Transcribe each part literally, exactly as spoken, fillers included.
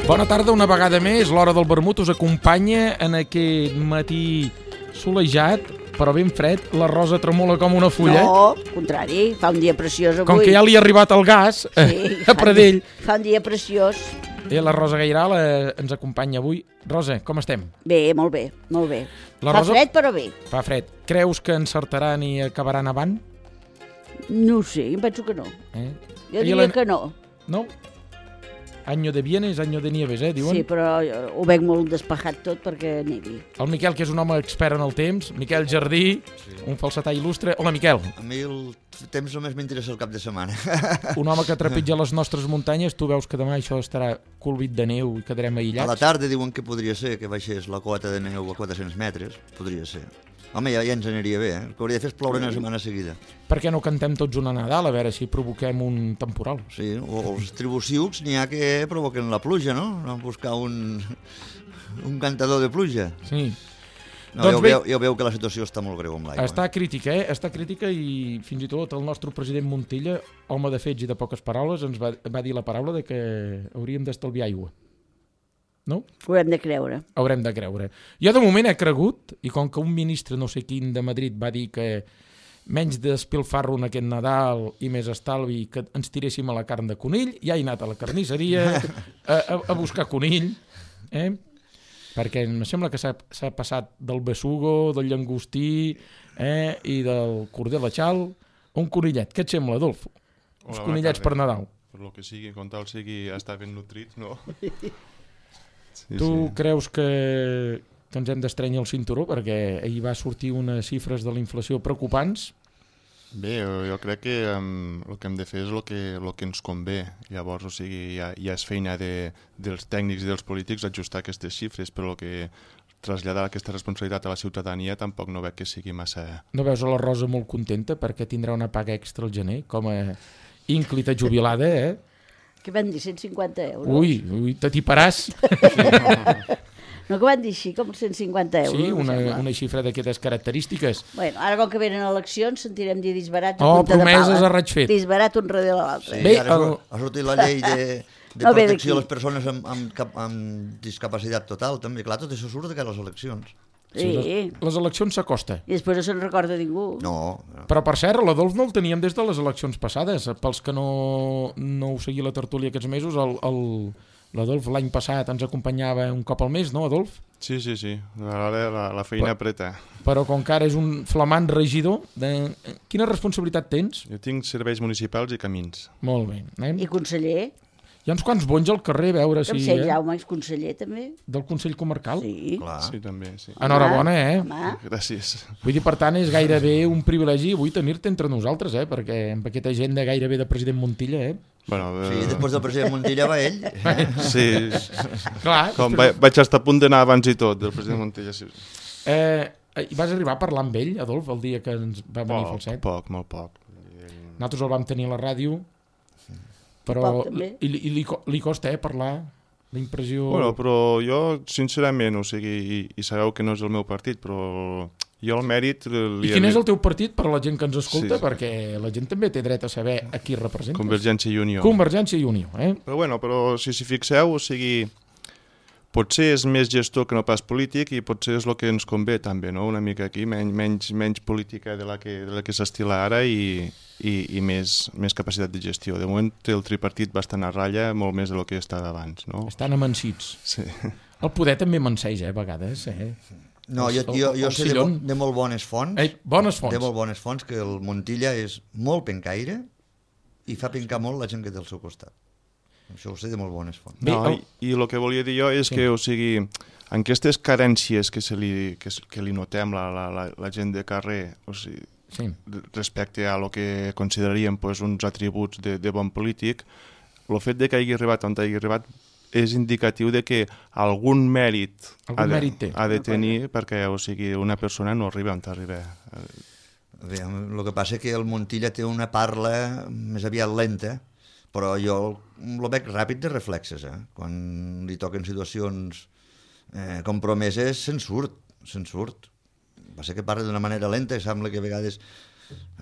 Bona tarda, una vegada més. L'hora del vermut us acompanya en aquest matí solejat, però ben fred. La Rosa tremola com una fulla. No, al contrari, fa un dia preciós avui. Com que ja li ha arribat el gas sí, a Pradell. Fa un dia preciós. Eh, la Rosa Gairal eh, ens acompanya avui. Rosa, com estem? Bé, molt bé, molt bé. La fa Rosa... fred, però bé. Fa fred. Creus que encertaran i acabaran avant? No ho sé, em penso que no. Eh? Jo diria la... que no. No? Año de bienes, año de nieves, eh, diuen? Sí, però ho veig molt despejat tot perquè nevi. El Miquel, que és un home expert en el temps. Miquel Jardí, sí. Un falsetà il·lustre. Hola, Miquel. A mi el temps només m'interessa el cap de setmana. Un home que trepitja les nostres muntanyes. Tu veus que demà això estarà colbit de neu i quedarem aïllats? A la tarda diuen que podria ser que baixés la cota de neu a quatre-cents metres. Podria ser. Home, ja, ja ens aniria bé, eh? El que hauria de fer és ploure una setmana seguida. Per què no cantem tots una Nadal, a veure si provoquem un temporal? Sí, o els tribuciucs n'hi ha que provoquen la pluja, no? No buscar un, un cantador de pluja. Sí. No, doncs ja, veu, ja veu que la situació està molt greu amb l'aigua. Està crítica, eh? Està crítica i fins i tot el nostre president Montilla, home de fets i de poques paraules, ens va, va dir la paraula de que hauríem d'estalviar aigua. No? Ho haurem de creure. Haurem de creure. Jo de moment he cregut, i com que un ministre no sé quin de Madrid va dir que menys despilfarro en aquest Nadal i més estalvi que ens tiréssim a la carn de conill, ja he anat a la carnisseria a, a, a buscar conill, eh? Perquè em sembla que s'ha passat del besugo, del llangostí eh? I del corder de xal a un conillet. Què et sembla, Adolfo? Els Hola, conillets per Nadal. Per lo que sigui, com tal sigui, està ben nutrit, no? Sí, tu sí. creus que, que ens hem d'estrènyer el cinturó? Perquè ahir va sortir unes xifres de la inflació preocupants. Bé, jo, jo crec que um, el que hem de fer és el que, el que ens convé. Llavors, o sigui, ja, ja és feina de, dels tècnics i dels polítics ajustar aquestes xifres, però el que traslladar aquesta responsabilitat a la ciutadania tampoc no veig que sigui massa... No veus a la Rosa molt contenta perquè tindrà una paga extra al gener, com a ínclita jubilada, eh? Què van dir, cent cinquanta euros? Ui, ui, t'atiparàs. No, que van dir així, com cent cinquanta euros. Sí, una, una xifra d'aquestes característiques. Bueno, ara com que venen eleccions sentirem dir disbarats a oh, punta de pala. promeses a raig fet. Disbarat un darrere l'altre. Sí, Bé, ara el... ha sortit la llei de, de no protecció a les persones amb, amb, amb discapacitat total, també. Clar, tot això surt de cara a les eleccions. Sí. Les, les eleccions s'acosta. I després no se'n recorda ningú. No, no. Però, per cert, l'Adolf no el teníem des de les eleccions passades. Pels que no, no ho seguia la tertúlia aquests mesos, el, el, l'Adolf l'any passat ens acompanyava un cop al mes, no, Adolf? Sí, sí, sí. Ara la, la feina però, apreta. Però com que ara és un flamant regidor, de... quina responsabilitat tens? Jo tinc serveis municipals i camins. Molt bé. Eh? I conseller? Hi ha uns quants bonys al carrer, a veure si... Em sé, eh? Jaume és conseller, també. Del Consell Comarcal? Sí. Clar. Sí, també, sí. Enhorabona, eh? Home. Gràcies. Vull dir, per tant, és gairebé un privilegi avui tenir-te entre nosaltres, eh? Perquè amb aquesta agenda gairebé de president Montilla, eh? Bueno, eh... Sí, després del president Montilla va ell. Sí. Clar. Com va, vaig estar a punt d'anar abans i tot, del president Montilla, sí. Eh, I vas arribar a parlar amb ell, Adolf, el dia que ens va venir Poc, Falset? poc, molt poc. Nosaltres el vam tenir a la ràdio, però li, li, li, li costa, eh, parlar, la impressió... Bueno, però jo, sincerament, o sigui, i, i sabeu que no és el meu partit, però jo el mèrit... Li, I quin és el teu partit per a la gent que ens escolta? Sí, sí. Perquè la gent també té dret a saber a qui representa. Convergència i Unió. Convergència i Unió, eh? Però bueno, però si s'hi fixeu, o sigui, potser és més gestor que no pas polític i potser és el que ens convé també, no? Una mica aquí, menys, menys, menys política de la que, de la que s'estila ara i, i, i més, més capacitat de gestió. De moment té el tripartit bastant a ratlla, molt més del que estava abans, no? Estan amansits. Sí. El poder també amanseix, eh, a vegades, eh? No, jo, jo, jo sé de, de molt bones fonts, Ei, bones fonts. de molt bones fonts, que el Montilla és molt pencaire i fa pencar molt la gent que té al seu costat. Això ho sé de molt bones fonts. No, i, i el que volia dir jo és sí. que, o sigui, en aquestes carències que, se li, que, que li notem la, la, la, la gent de carrer, o sigui, sí. respecte a lo que consideraríem pues, uns atributs de, de bon polític, el fet de que hagi arribat on hagi arribat és indicatiu de que algun mèrit, algun ha, de, mèrit té. ha de tenir perquè, o sigui, una persona no arriba on arriba. Bé, el que passa és que el Montilla té una parla més aviat lenta, però jo el veig ràpid de reflexes, eh? Quan li toquen situacions eh, compromeses, se'n surt, se'n surt. Va ser que parla d'una manera lenta i sembla que a vegades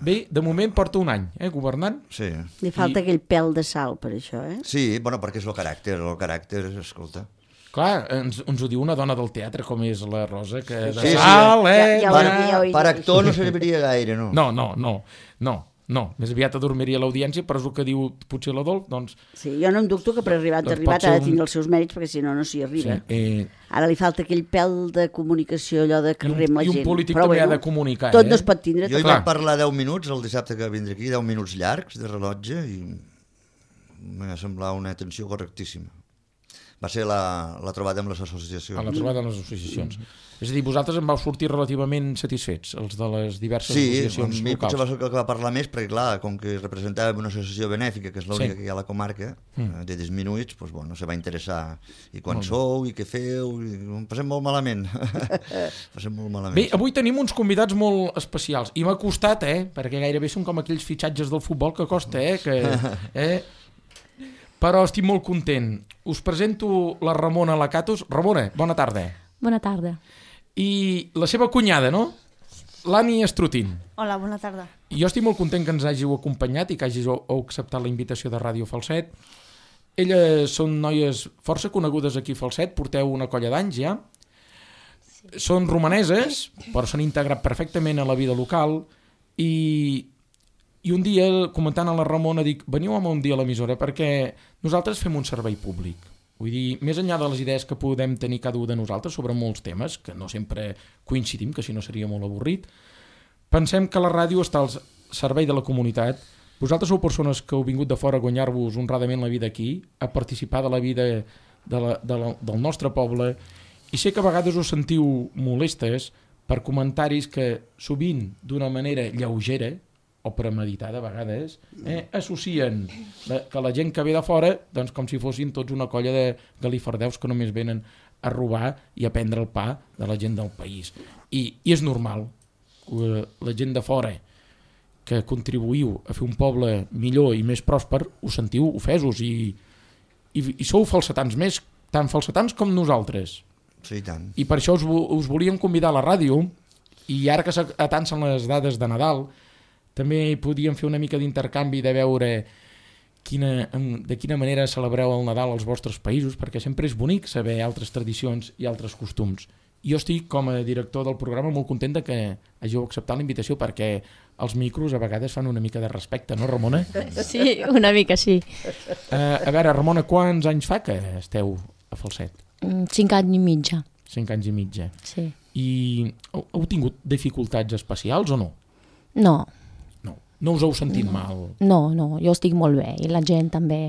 Bé, de moment porta un any, eh, governant. Sí. Li falta I- aquell pèl de sal per això, eh? Sí, bueno, perquè és el caràcter, el caràcter, escolta. Clar, ens, ens ho diu una dona del teatre com és la Rosa, que de Sí, sí. sal, eh? Ja- ja ho Per, havia- ja ho havia per dit. actor no serviria gaire, no? No, no, no, no, no. Més aviat adormiria l'audiència, però és el que diu potser l'Adolf, doncs... Sí, jo no em dubto que per arribar Doncs a arribat pot ser ha de un- tenir els seus mèrits, perquè si no, no s'hi Sí, arriba. eh, Ara li falta aquell pèl de comunicació, allò de I un, carrer amb la I un gent. polític Però també bueno, ha de comunicar, tot eh? no es pot tindre. Jo hi tot. Clar. vaig parlar deu minuts el dissabte que vindré aquí, deu minuts llargs de rellotge, i m'ha semblat una atenció correctíssima. Va ser la, la trobada amb les associacions. A la trobada de les associacions. És a dir, vosaltres en vau sortir relativament satisfets, els de les diverses Sí, a associacions mi potser va locals. ser el que va parlar més, perquè clar, com que representava una associació benèfica, que és l'única Sí. que hi ha a la comarca, Mm. eh, de disminuïts, doncs, bueno, se va interessar. I quan sou, i què feu, i ho passem molt malament. passem molt malament. Bé, avui tenim uns convidats molt especials, i m'ha costat, eh? Perquè gairebé són com aquells fitxatges del futbol que costa, eh? Que, eh? Però estic molt content. Us presento la Ramona Lacatus. Ramona, bona tarda. Bona tarda. I la seva cunyada, no? L'Ani Estrutin. Hola, bona tarda. Jo estic molt content que ens hàgiu acompanyat i que hàgiu acceptat la invitació de Ràdio Falset. Elles són noies força conegudes aquí a Falset, porteu una colla d'anys ja. Sí. Són romaneses, però s'han integrat perfectament a la vida local i, i un dia, comentant a la Ramona, dic, veniu amb un dia a l'emissora perquè nosaltres fem un servei públic. Vull dir, més enllà de les idees que podem tenir cada un de nosaltres sobre molts temes, que no sempre coincidim, que si no seria molt avorrit, pensem que la ràdio està al servei de la comunitat. Vosaltres sou persones que heu vingut de fora a guanyar-vos honradament la vida aquí, a participar de la vida de la, de la, del nostre poble, i sé que a vegades us sentiu molestes per comentaris que sovint d'una manera lleugera o premeditada a vegades, eh, associen la, que la gent que ve de fora doncs com si fossin tots una colla de galifardeus que només venen a robar i a prendre el pa de la gent del país. I, i és normal. La gent de fora que contribuïu a fer un poble millor i més pròsper, us sentiu ofesos i, i, i sou falsetans més, tan falsetans com nosaltres. Sí, i tant. I per això us, us volíem convidar a la ràdio, i ara que s'atancen les dades de Nadal, també podíem fer una mica d'intercanvi de veure quina, de quina manera celebreu el Nadal als vostres països, perquè sempre és bonic saber altres tradicions i altres costums. Jo estic, com a director del programa, molt content de que hàgiu acceptat la invitació, perquè els micros a vegades fan una mica de respecte, no, Ramona? Sí, una mica sí. Uh, a veure, Ramona, quants anys fa que esteu a Falset? Mm, Cinc anys i mitja, Cinc anys i mitja. sí. I heu, heu tingut dificultats especials o no? No, No. No us heu sentit mal? no, no, jo estic molt bé i la gent també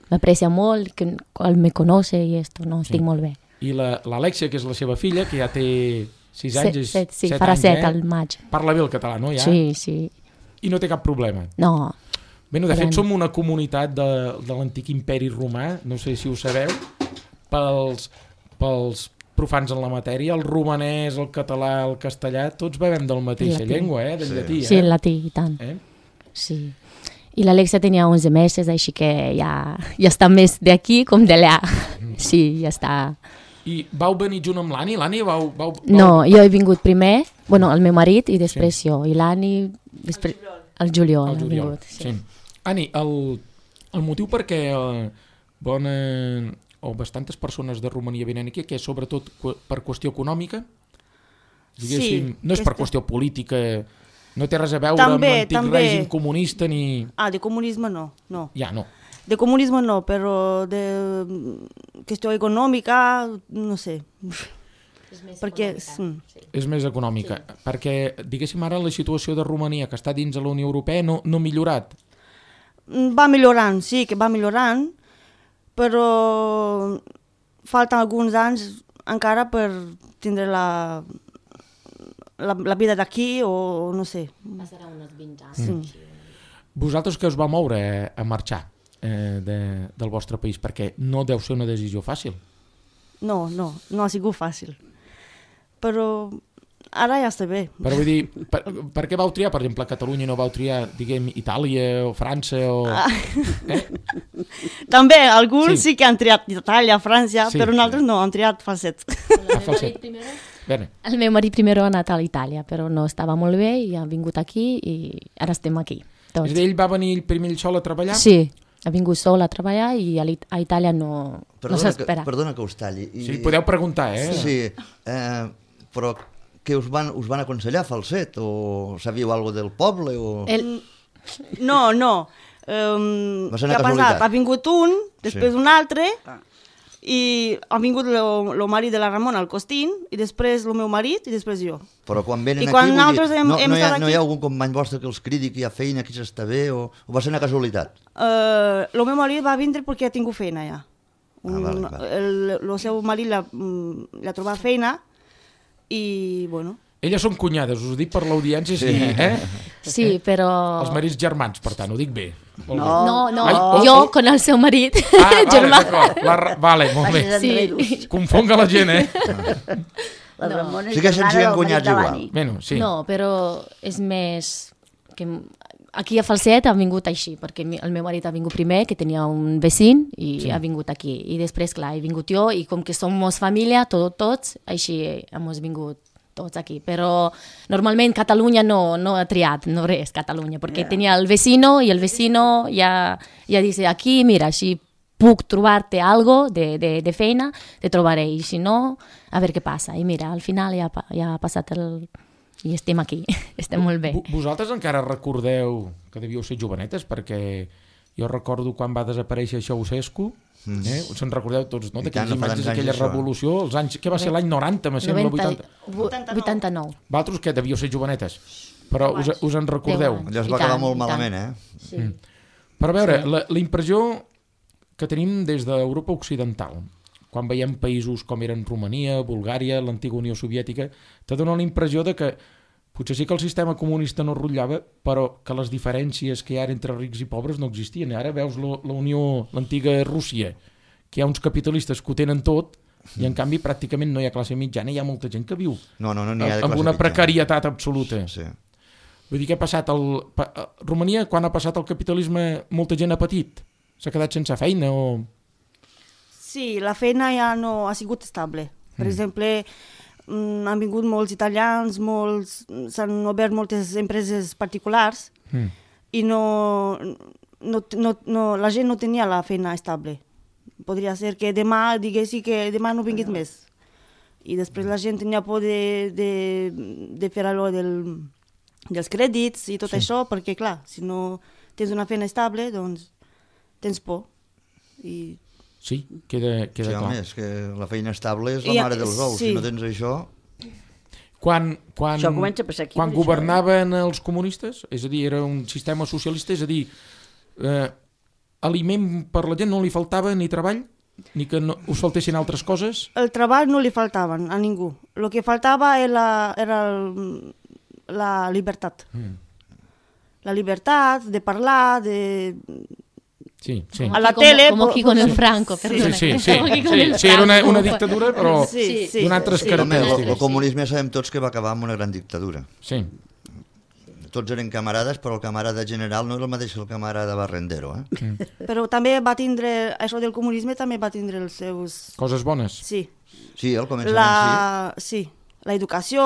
m'aprecia molt, que el me conoce i esto, no, estic Sí. molt bé. I l'Alexia, que és la seva filla, que ja té sis Set, anys, és set, sí, set farà anys, set eh? al maig. Parla bé el català, no? Ja? Sí, sí, I no té cap problema. no, Bé, no, de fet, Farem. som una comunitat de, de l'antic imperi romà, no sé si ho sabeu, pels, pels profans en la matèria, el romanès, el català, el castellà, tots bevem de la mateixa Llatí. llengua, eh? Del Sí. llatí, eh? sí, el latí i tant, Eh? sí. I l'Alexia tenia onze mesos, així que ja, ja està més d'aquí com d'allà. Sí, ja està. I vau venir junt amb l'Ani? L'Ani vau, vau, vau... No, jo he vingut primer, bueno, el meu marit i després sí. jo, i l'Ani, després... El juliol. El ha juliol. vingut, sí. Sí. Ani, el, el motiu per què eh, bona, o bastantes persones de Romania venen aquí, que és sobretot qu per qüestió econòmica? Diguéssim, Sí, no és per aquesta- qüestió política, no té res a veure També, amb l'antic també. règim comunista ni... Ah, de comunismo no, no. Ja, no. De comunismo no, pero de mm, cuestión económica, no sé. Perquè, mm, És més econòmica. Sí. Perquè, diguéssim, ara la situació de Romania, que està dins de la Unió Europea, no, no ha millorat. va millorant, sí que va millorant, però falten alguns anys encara per tindre la, la, la vida d'aquí o no sé. Passarà uns vint anys. Sí. Vosaltres que us va moure a marxar eh, de, del vostre país, perquè no deu ser una decisió fàcil. No, no, no ha sigut fàcil. Però ara ja està bé. Però vull dir, per, per què vau triar, per exemple, Catalunya i no vau triar, diguem, Itàlia o França o... Ah. Eh? També, alguns Sí. sí. sí que han triat Itàlia, França, Sí. sí. però nosaltres no, han triat Falset. A Falset. Bene. El meu marit primer ha anat a Itàlia, però no estava molt bé i ha vingut aquí i ara estem aquí. Tots. És a dir, ell va venir primer ell sol a treballar? Sí, ha vingut sol a treballar i a, a Itàlia no, Perdona, no s'espera. que, perdona que us talli. I, Sí, podeu preguntar, eh? Sí, eh, però què us van, us van aconsellar, Falset? O sabíeu alguna del poble? O... El, No, no. Um, Va ser què una ha casualitat. passat? Ha vingut un, després Sí. un altre, i ha vingut el marit de la Ramona, el Costín, i després el meu marit, i després jo. Però quan venen I aquí, quan vull nosaltres dir, hem- no, hem no, hi ha, estat no hi ha aquí- algun company vostre que els cridi que hi ha feina, que s'està bé, o, o va ser una casualitat? Uh, el meu marit va vindre perquè ha tingut feina ja. Un, Ah, vale, vale. El, el seu marit l'ha mm, l'ha trobat feina i, bueno... Elles són cunyades, us ho dic per l'audiència, sí. sí, eh? sí, però... Els marits germans, per tant, ho dic bé. Molt bé. No. No, no, Ai, oh, jo oh. con el seu marit, Ah, vale, germà. d'acord. La ra- Vale, molt bé. Vages enredos. Sí. Confonga la gent, eh? La No. Ramona és Sí que germana siguin del marit cunyats de igual. l'Anni. Bueno, sí. No, però és més... Que aquí a Falset ha vingut així, perquè mi- el meu marit ha vingut primer, que tenia un vecín, i Sí. ha vingut aquí. I després, clar, he vingut jo, i com que som família, tot, tots, així hem vingut tots aquí. Però normalment Catalunya no, no ha triat, no res, Catalunya, perquè Ja. tenia el vecino, i el vecino ja, ja dice, aquí, mira, així puc trobar-te algo de, de, de feina, te trobaré, i si no, a veure què passa. I mira, al final ja, ha pa- ja ha passat el... i estem aquí, estem molt bé. Vo- Vosaltres encara recordeu que devíeu ser jovenetes, perquè jo recordo quan va desaparèixer Ceausescu, eh? Se'n recordeu tots, no? I D'aquelles tant, no fa imatges tants anys d'aquella això, eh? revolució, els anys, què va ser l'any noranta, me sembla, vuitanta. vuitanta, vuitanta-nou. Vosaltres que devíeu ser jovenetes, però us, us en recordeu? Deu anys. Allò es I va acabar tant, molt i tant. malament, eh? Sí. Però a veure, la, la impressió que tenim des d'Europa Occidental, quan veiem països com eren Romania, Bulgària, l'antiga Unió Soviètica, te dona la impressió de que potser sí que el sistema comunista no rotllava, però que les diferències que hi ha entre rics i pobres no existien. Ara veus la, la Unió, l'antiga Rússia, que hi ha uns capitalistes que ho tenen tot, i en canvi pràcticament no hi ha classe mitjana, hi ha molta gent que viu No, no, no n'hi ha de amb classe una mitjana. precarietat absoluta. Sí. Vull dir, què ha passat? El, pa, a Romania, quan ha passat el capitalisme, molta gent ha patit? S'ha quedat sense feina o... Sí, la feina ja no ha sigut estable. Per mm. exemple, mm, han vingut molts italians, molts, s'han obert moltes empreses particulars Mm. i no, no, no, no, la gent no tenia la feina estable. Podria ser que demà diguessi que demà no vinguis més. I després la gent tenia por de, de, de fer allò del, dels crèdits i tot Sí. això, perquè clar, si no tens una feina estable, doncs tens por. I Sí, queda, queda Sí, clar. home, és que la feina estable és la I, mare dels ous. sí. Si no tens això... Quan, quan, Això comença a passar aquí, quan per això, governaven els comunistes, és a dir, era un sistema socialista, és a dir, eh, aliment per la gent no li faltava ni treball, ni que no, us faltessin altres coses. el treball no li faltava a ningú. El que faltava era, era el, la llibertat. Mm. La llibertat de parlar, de... Sí, sí. A la Como- tele, Como po- aquí con el sí. Franco, Sí, perdona. sí, sí, Como aquí con sí, el sí, era una, Franco. una dictadura, però Sí, sí. d'unes altres sí. Home, el, característiques. el comunisme sabem tots que va acabar amb una gran dictadura. Sí, Tots eren camarades, però el camarada general no era el mateix que el camarada barrendero, eh? Però també va tindre, això del comunisme també va tindre els seus... coses bones. Sí, Sí, al començament la, sí. la educació,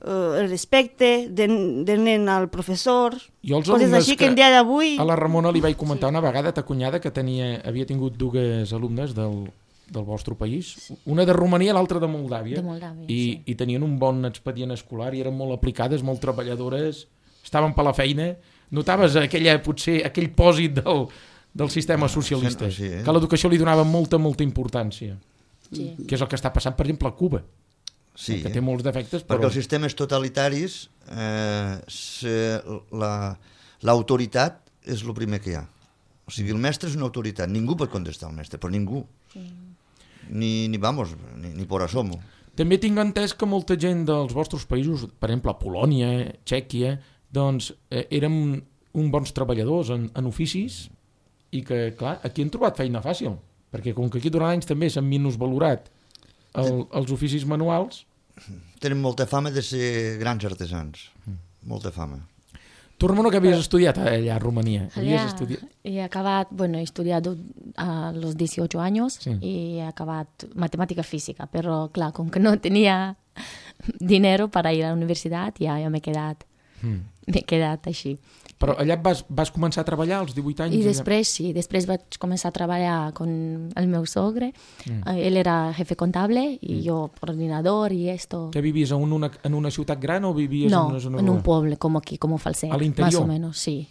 eh, el respecte del, del nen al professor, Jo els coses alumnes així que que en dia d'avui... a la Ramona li vaig comentar una vegada, ta cunyada, que tenia, havia tingut dues alumnes del, del vostre país, una de Romania i l'altra de Moldàvia, De Moldàvia, i, sí. i tenien un bon expedient escolar i eren molt aplicades, molt treballadores, estaven per la feina. Notaves aquella, potser, aquell pòsit del, del sistema socialista, sí, eh? que a l'educació li donava molta, molta importància, Sí. que és el que està passant, per exemple, a Cuba, sí. que té molts defectes, Perquè però... els sistemes totalitaris, eh, se- la- l'autoritat és el primer que hi ha. O sigui, el mestre és una autoritat. Ningú pot contestar al mestre, però ningú. Ni, ni vamos, ni, ni por asomo. També tinc entès que molta gent dels vostres països, per exemple, Polònia, Txèquia, doncs eh, eren uns bons treballadors en, en oficis i que, clar, aquí han trobat feina fàcil, perquè com que aquí durant anys també s'han minusvalorat el, els oficis manuals, Tenen molta fama de ser grans artesans. Molta fama. Tu, Ramona, que havies estudiat allà a Romania? Havies Allá estudiat... he acabado, bueno, he estudiado a los dieciocho años Sí. y he acabado matemática física, pero claro, como que no tenía dinero para ir a la universidad, ya, ya me he quedado, Mm. me he quedado així. Però allà vas, vas començar a treballar als divuit anys? I allà? després, sí, després vaig començar a treballar con el meu sogre. Mm. Ell era jefe contable i mm. jo coordinador i esto. Que vivies en una, en una ciutat gran o vivies No, en una zona en un rural? pueblo como aquí, como Falset. ¿Al interior? Más o menos, sí.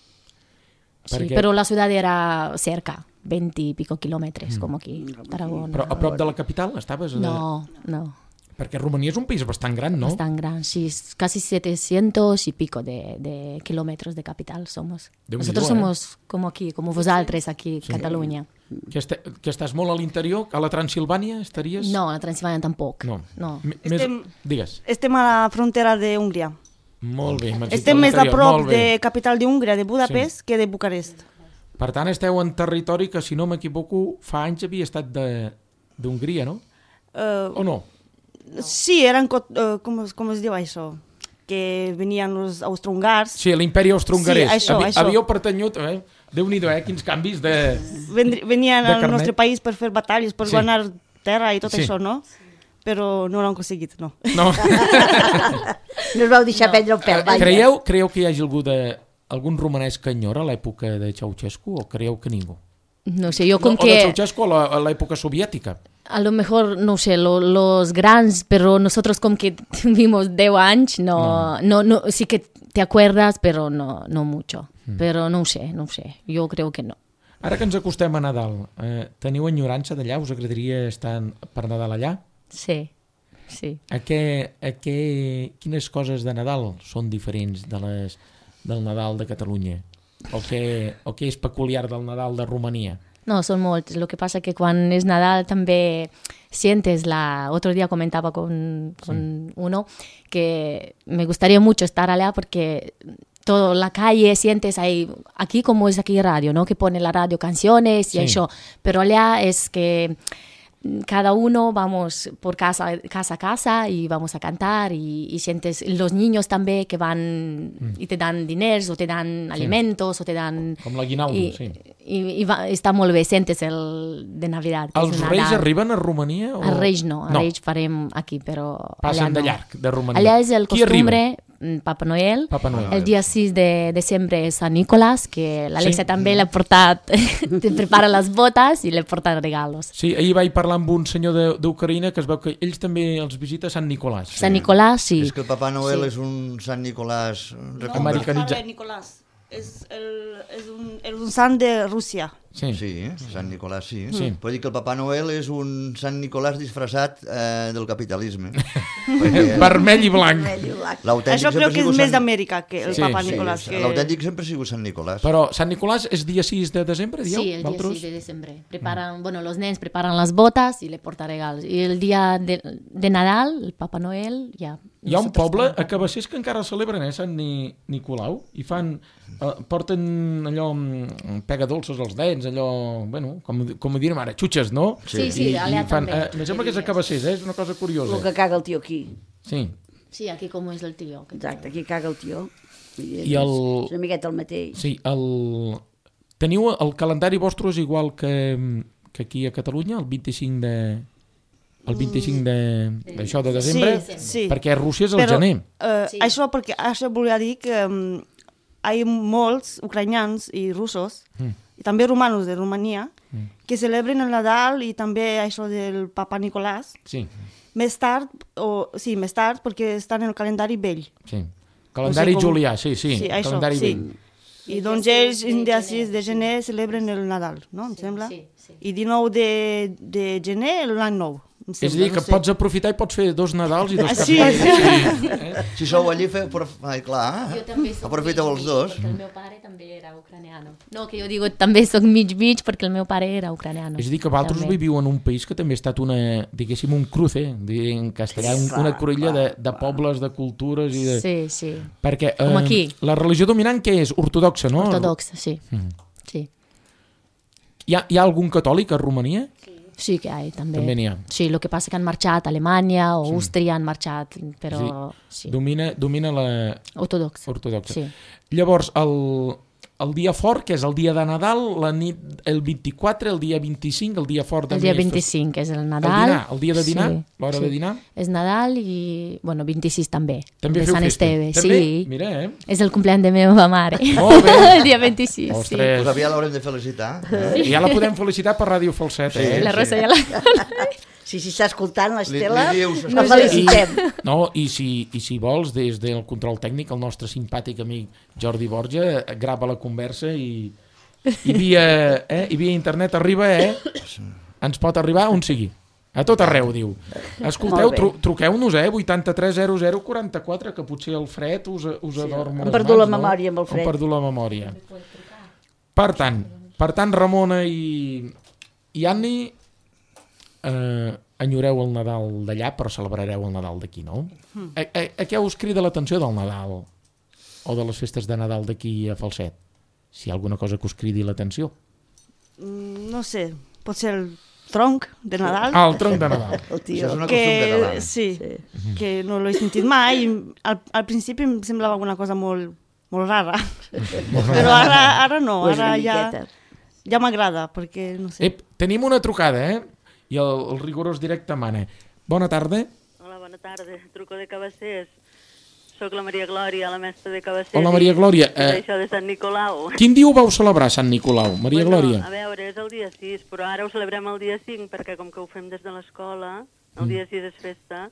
Sí, Perquè- pero la ciudad era cerca, veinte y pico kilómetros, como aquí, Tarragona. Però a prop de la capital estaves? No, no, Perquè Romania és un país bastant gran, no? bastante gran, sí, es casi setecientos y pico de, de kilómetros de capital somos. Déu-n'hi-do, Nosotros eh? somos como aquí, como vosaltres aquí, Cataluña. Que, este, que estàs molt a l'interior, a la Transilvània estaries? No, a Transilvania tampoc. No. No. M- Més... Estem- Digues. Estem a la frontera d'Hongria. Molt bé. m'has dit Estem a més a l'interior, prop molt bé. de capital d'Hongria, de Budapest, sí. que de Bucarest. Per tant, esteu en territori que, si no m'equivoco, fa anys havia estat de- d'Hongria, no? Uh, O no? sí, eren, co- uh, com, es- com es diu això? Que venien els austrohongars. Sí, l'imperi austro-hongarès. Sí, això, Havi- això. Havíeu pertanyut, eh? Déu-n'hi-do, eh? Quins canvis de... Vendri- venien De al carnet. nostre país per fer batalles, per Sí. sí. guanyar terra i tot Sí. això, no? Però no l'han aconseguit, no. No. No us vau deixar no. prendre el pèl, vaja. Creieu, creieu que hi hagi algú de, algun romanès que enyora l'època de Ceausescu o creieu que ningú? No sé, yo No, con o de que... Ceausescu a la- a l'època soviètica. A lo mejor, no sé, lo- los grandes, pero nosotros como que vivimos diez años, no, no, no, sí que te acuerdas, pero no, no mucho. Mm. Pero no sé, no sé, yo creo que no. Ara que ens acostem a Nadal, eh, teniu enyorança d'allà? Us agradaria estar en- per Nadal allà? Sí, sí. A què, a què, quines coses de Nadal són diferents de les, del Nadal de Catalunya? O què, o què és peculiar del Nadal de Romania? No, son moltes. Lo que pasa es que cuando es Nadal también sientes la... Otro día comentaba con, con uno que me gustaría mucho estar allá porque toda la calle sientes ahí, aquí como es aquí radio, ¿no? Que pone la radio canciones y Sí. eso, pero allá es que cada uno vamos por casa, casa a casa y vamos a cantar y, y sientes los niños también que van y te dan dineros o te dan alimentos o te dan... Com l'aguinaldo, y, sí. y, y va, està molt bé, sentes el de Navidad. Que Els és reis Nadal. arriben a Romania? O... Els reis no, els no. reis farem aquí, però Passen allà no. de llarg, de Romania. Allà és el Qui arriba? costumbre, mm, Papa Noel. Papa Noel. El dia sis de desembre és Sant Nicolàs, que l'Alexia Sí. també l'ha portat, te prepara les botes i li porta regalos. Sí, ahir vaig parlar amb un senyor de- d'Ucraïna que es veu que ells també els visita Sant Nicolàs. Sant Nicolàs, sí. És que el Papa Noel Sí. és un Sant Nicolàs reconvertit. Americanitzat. Nicolás. És, el, és, un, és un sant de Rússia. Sí. Sí, Sant Nicolàs, sí. Sí. Pot dir que el Papa Noel és un Sant Nicolàs disfressat eh, del capitalisme. Perquè Vermell i blanc. l'autèntic Això sempre crec ha que és sigut més Sant- d'Amèrica que el Sí, Papa sí, Nicolás. Sí, Que... l'autèntic sempre ha sigut Sant Nicolàs. Però Sant Nicolàs és dia sis de desembre, dieu? Sí, el día Valtros? seis de diciembre. Preparan, bueno, los nens preparan las botas y le portan regalos. Y el día de, de Nadal, el Papa Noel, ya... Hi ha un nosotros poble a también. Cabassers que encara celebren, eh, Sant Ni Nicolau, i fan, eh, porten allò, mm, pega dolços als dents, allò, bueno, com, com ho direm ara, xutxes, no? Sí, sí, I, allà i fan, també. eh, me sembla que és a Cabassers, eh? És una cosa curiosa. El que caga el tio aquí. Sí. Sí, aquí como es el tío. que- Exacte, aquí caga el tio. I, I el- És una miqueta el mateix. Sí, el... Teniu el calendari vostre és igual que, que aquí a Catalunya, el vint-i-cinc de... El vint-i-cinc de... d'això de desembre, Sí, sí. perquè a Rússia és el Però, gener. eh, Sí. això, perquè, això volia dir que um, hi ha molts ucranians i russos, Mm. i també romanos de Romania, que celebren el Nadal i també això del Papa Nicolàs, Sí, més tard, o, sí, més tard, perquè estan en el calendari vell. sí. Calendari O sigui, com- julià, sí, sí, Sí, això, calendari sí. vell. I doncs ells, el dia sis de gener, celebren el Nadal, no? Em sembla? sí, sí. I dinou de, de gener, l'any nou. Em És a sembla, dir, que no sé. pots aprofitar i pots fer dos Nadals i dos Ah, Caps sí. d'Any. Sí. Eh? Si sou allí, feu... Però, ai, clar, Jo també soc aprofiteu els mig-mig, dos. perquè el meu pare també era ucraniano. No, que jo digo també soc mig-mig perquè el meu pare era ucraniano. És a dir, que vosaltres També. viviu en un país que també ha estat una, diguéssim, un cruce, en castellà, un, una cruïlla de, de pobles, de cultures i de... Sí, sí. Perquè Com aquí. la religió dominant què és? Ortodoxa, no? Ortodoxa, sí. Mm. Sí. Hi ha, hi ha algun catòlic a Romania? Sí que hi ha, també. També n'hi ha. Sí, el que passa que han marxat Alemanya o Àustria han marxat, però sí. Domina, domina la Ortodoxa. ortodoxa. Sí. Llavors, el, el dia fort, que és el dia de Nadal, la nit, el vint-i-quatre, el dia vint-i-cinc, el dia fort de El dia més, vint-i-cinc és el El Nadal. dinar, el dia de dinar, Sí, l'hora sí. de dinar. És Nadal i, bueno, vint-i-sis també. També de feu Sant festa? Esteve, També? sí. Mira, eh? És el compleany de meva mare. Molt bé. El dia vint-i-sis, sí. Ostres. Pues aviat l'haurem de felicitar. Eh? I ja la podem felicitar per Ràdio Falset, Sí, eh? La Rosa ja la... Si s'hi està escoltant, Li, l'Estela, li dius, la felicitem. No, i si, i si vols, des del control tècnic, el nostre simpàtic amic Jordi Borja grava la conversa i, i, via, eh, i via internet arriba, eh? Ens pot arribar on sigui. A tot arreu, diu. Escolteu, Molt bé. tru, truqueu-nos, eh? vuitanta-tres zero zero quaranta-quatre, que potser el fred us, us Sí, adorm hem les perdut la mans, no? memòria amb el fred. Hem perdut la memòria. Per tant, per tant Ramona i, i Anni, eh, enyoreu el Nadal d'allà, però celebrareu el Nadal d'aquí, no? A, a, a què us crida l'atenció del Nadal? O de les festes de Nadal d'aquí a Falset? Si hi ha alguna cosa que us cridi l'atenció. Mm, No sé, pot ser el tronc de Nadal. Ah, el tronc de Nadal. El Això tio. és una que, costum catalana. sí, Sí. que no l'he sentit mai. Al, al principi em semblava una cosa molt, molt rara, però ara, ara no, Ho és ara una ja, miqueta. ja m'agrada, perquè no sé. Ep, tenim una trucada, eh? I el, el rigorós directe mana. Bona tarda. Hola, bona tarda. Truco de Cabassers. Soc la Maria Glòria, la mestra de Cabassers. Hola, Maria Glòria. I, Eh, i això de Sant Nicolau. Quin dia ho vau celebrar, Sant Nicolau, Maria Bueno, Glòria? a veure, és el dia sis, però ara ho celebrem el dia cinc, perquè com que ho fem des de l'escola, el dia sis és festa,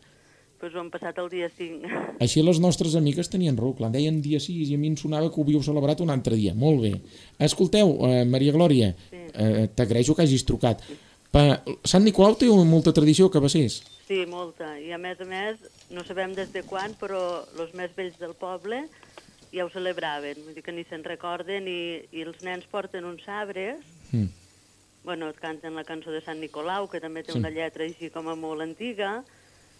doncs ho hem passat el dia cinc. Així les nostres amigues tenien raó, clar, deien dia sis i a mi em sonava que ho havíeu celebrat un altre dia. Molt bé. Escolteu, eh, Maria Glòria, eh, t'agraeixo que hagis trucat. Pa, Sant Nicolau té molta tradició a Cabassers. Sí, molta. I a més a més, no sabem des de quan, però els més vells del poble ja ho celebraven. Vull dir que ni se'n recorden i, i els nens porten uns sabres. Mm. Bueno, et canten la cançó de Sant Nicolau, que també té Sí. una lletra així com a molt antiga,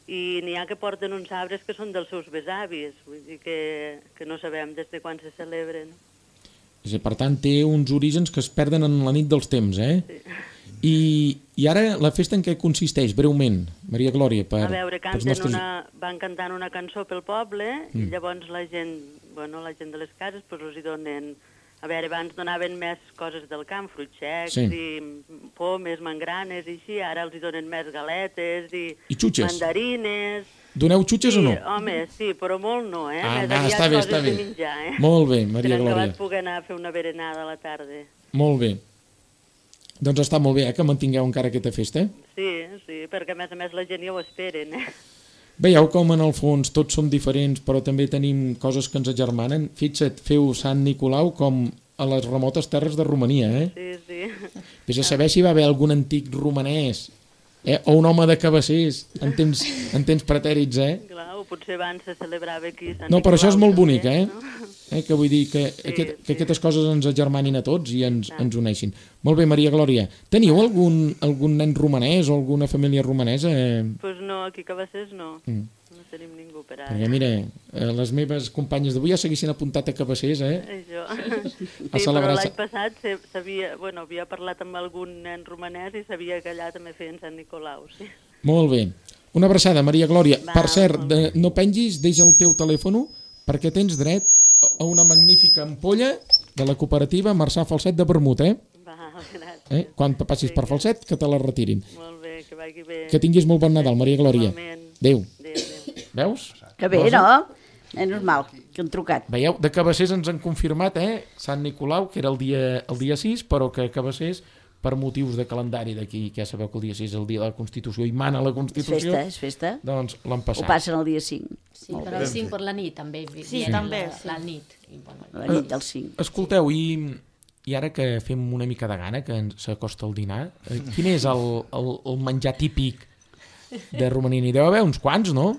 i n'hi ha que porten uns sabres que són dels seus besavis, vull dir que, que no sabem des de quan se celebren. És a dir, per tant, té uns orígens que es perden en la nit dels temps, eh? Sí. I, I ara la festa en què consisteix, breument, Maria Glòria, per, A veure, pels canten nostres... una, van cantant una cançó pel poble, mm. i llavors la gent, bueno, la gent de les cases, pues, els hi donen... A veure, abans donaven més coses del camp, fruits secs, Sí. i pomes, mangranes, i així, ara els hi donen més galetes, i, I xutxes. mandarines... Doneu xutxes sí, o no? home, sí, però molt no, eh? Ah, Més va, aviat està bé, coses està bé. de menjar, eh? Molt bé, Maria Per Glòria. acabat poder anar a fer una berenada a la tarda. Molt bé. Doncs està molt bé, eh, que mantingueu encara aquesta festa. Sí, sí, perquè a més a més la gent ja ho esperen, eh? Veieu com en el fons tots som diferents, però també tenim coses que ens agermanen. Fixa't, feu Sant Nicolau com a les remotes terres de Romania, eh? Sí, sí. Vés a saber si va haver algun antic romanès, eh? O un home de Cabassers, en temps, en temps pretèrits, eh? Clar, o potser abans se celebrava aquí Sant No, però això és Nicolau, molt també, bonic, eh? no? eh? Que vull dir que, Sí, aquest, sí. que aquestes coses ens agermanin a tots i ens, ens uneixin. Molt bé, Maria Glòria. Teniu algun, algun nen romanès o alguna família romanesa? Eh? Pues no, aquí a Cabassers no. Mm. No tenim ningú per ara. Perquè, mira, eh, les meves companyes d'avui ja s'haguessin apuntat a Cabassers, eh? Això. Sí, A però celebrar- l'any passat se- sabia, bueno, havia parlat amb algun nen romanès i sabia que allà també feien Sant Nicolau, sí. Molt bé. Una abraçada, Maria Glòria. Va, Per cert, molt de, no pengis, deixa el teu telèfon perquè tens dret a una magnífica ampolla de la cooperativa Marçà Falset de Vermut, eh? Va, gràcies. eh? Quan passis per Falset, que te la retirin. Molt bé, que vagi bé. Que tinguis molt bon Nadal, Maria Glòria. Igualment. Adéu. Adéu, adéu. Veus? Que bé, Rosa? no? Menys mal que han trucat. Veieu, de Cabassers ens han confirmat, eh? Sant Nicolau, que era el dia, el dia sis, però que Cabassers, per motius de calendari d'aquí, que ja sabeu que el dia sis és el dia de la Constitució i mana la És Constitució, festa, és festa. doncs l'han Ho passat. passen el dia cinc. Sí, però el cinc per la nit també. Sí, viene també, La, sí. la nit. I, bueno, La nit del cinc. Escolteu, i, i ara que fem una mica de gana, que ens s'acosta el dinar, eh, quin és el, el, el menjar típic de Romania? N'hi deu haver uns quants, no?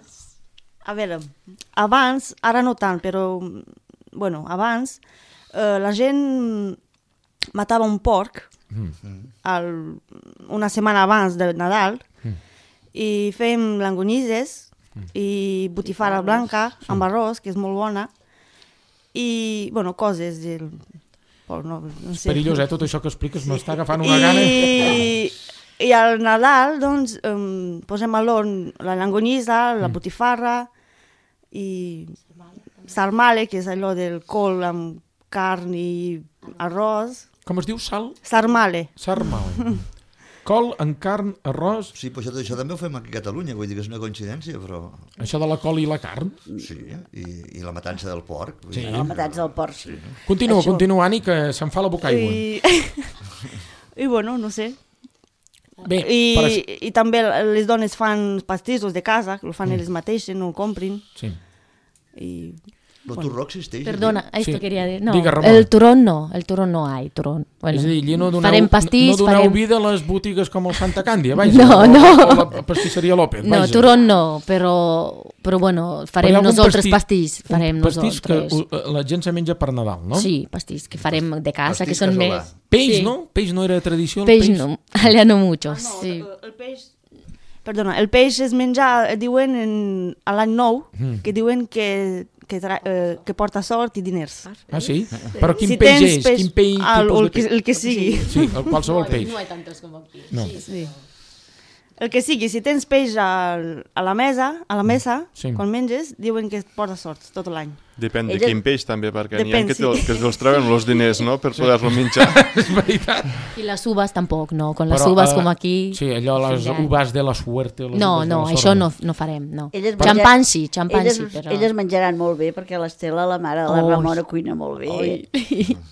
A veure, abans, ara no tant, però, bueno, abans, eh, la gent matava un porc el, una setmana abans de Nadal i fèiem langonises i botifara blanca amb arròs, que és molt bona, i, bueno, coses del... Oh, no, no sé. Perillós, eh? Tot això que expliques m'està agafant una gana. I I al Nadal, doncs, um, posem a l'horn la llonganissa, la Mm. botifarra i sarmale, que és allò del col amb carn i arròs. Com es diu? Sal? Sarmale. Sarmale. Col en carn, arròs... Sí, però això, això també ho fem aquí a Catalunya, vull dir que és una coincidència, però... Això de la col i la carn. Sí, i, i la matança del porc. Vull Sí. dir, La matança del porc, sí. Continua, Això. continua, Ani, que se'n fa la boca aigua. I... I bueno, no sé. Bé, I, per això... I també les dones fan pastissos de casa, que ho fan elles mateixes, no ho comprin. Sí. I... El turró existeix. Perdona, esto Sí. quería decir. No, Diga, Ramona. el turrón no, el turrón no hay, turrón. Bueno, És a dir, allí no doneu, farem pastís, no doneu farem... vida a les botigues com el Santa Càndia, vaja, No, o, no. o la pastisseria López, No, vaja. turrón no, però, però bueno, Però hi farem ha algun nosaltres pastís- pastís, farem un pastís que nosaltres. uh, la gent se menja per Nadal, no? Sí, pastís que farem de casa, Pastís que són casolà. més... Peix, sí. no? Peix no era tradició, el Peix peix? no, allà no mucho, Ah, no, sí. el, el peix... Perdona, el peix es menja, diuen, en, a l'any nou, Mm. que diuen que, que, tra, eh, que porta sort i diners. Ah, sí? Però quin Si peix tens és? peix- Quin peix, Ah, tipus el de que- peix? el que sigui. Sí, el qualsevol peix. No hay tantos como aquí. No. Sí, sí. Sí. El que sigui, si tens peix al, a la mesa, a la mesa, Sí. quan menges, diuen que et porta sort tot l'any. Depèn de Ella- quin peix també, perquè n'hi ha Depèn, que, sí. te, que els treuen els diners, no?, per poder-lo menjar. És veritat. Y las uvas tampoc, no, con las Però, uvas eh, como aquí... Sí, allò, les Ja. uvas de la suerte. Les No, uvas de no, la sort, això no, no farem, no. Elles Xampany menja- sí, xampany elles, sí, però... Elles menjaran molt bé, perquè l'Estela, la mare de la Oi. Ramona, cuina molt bé. Oi.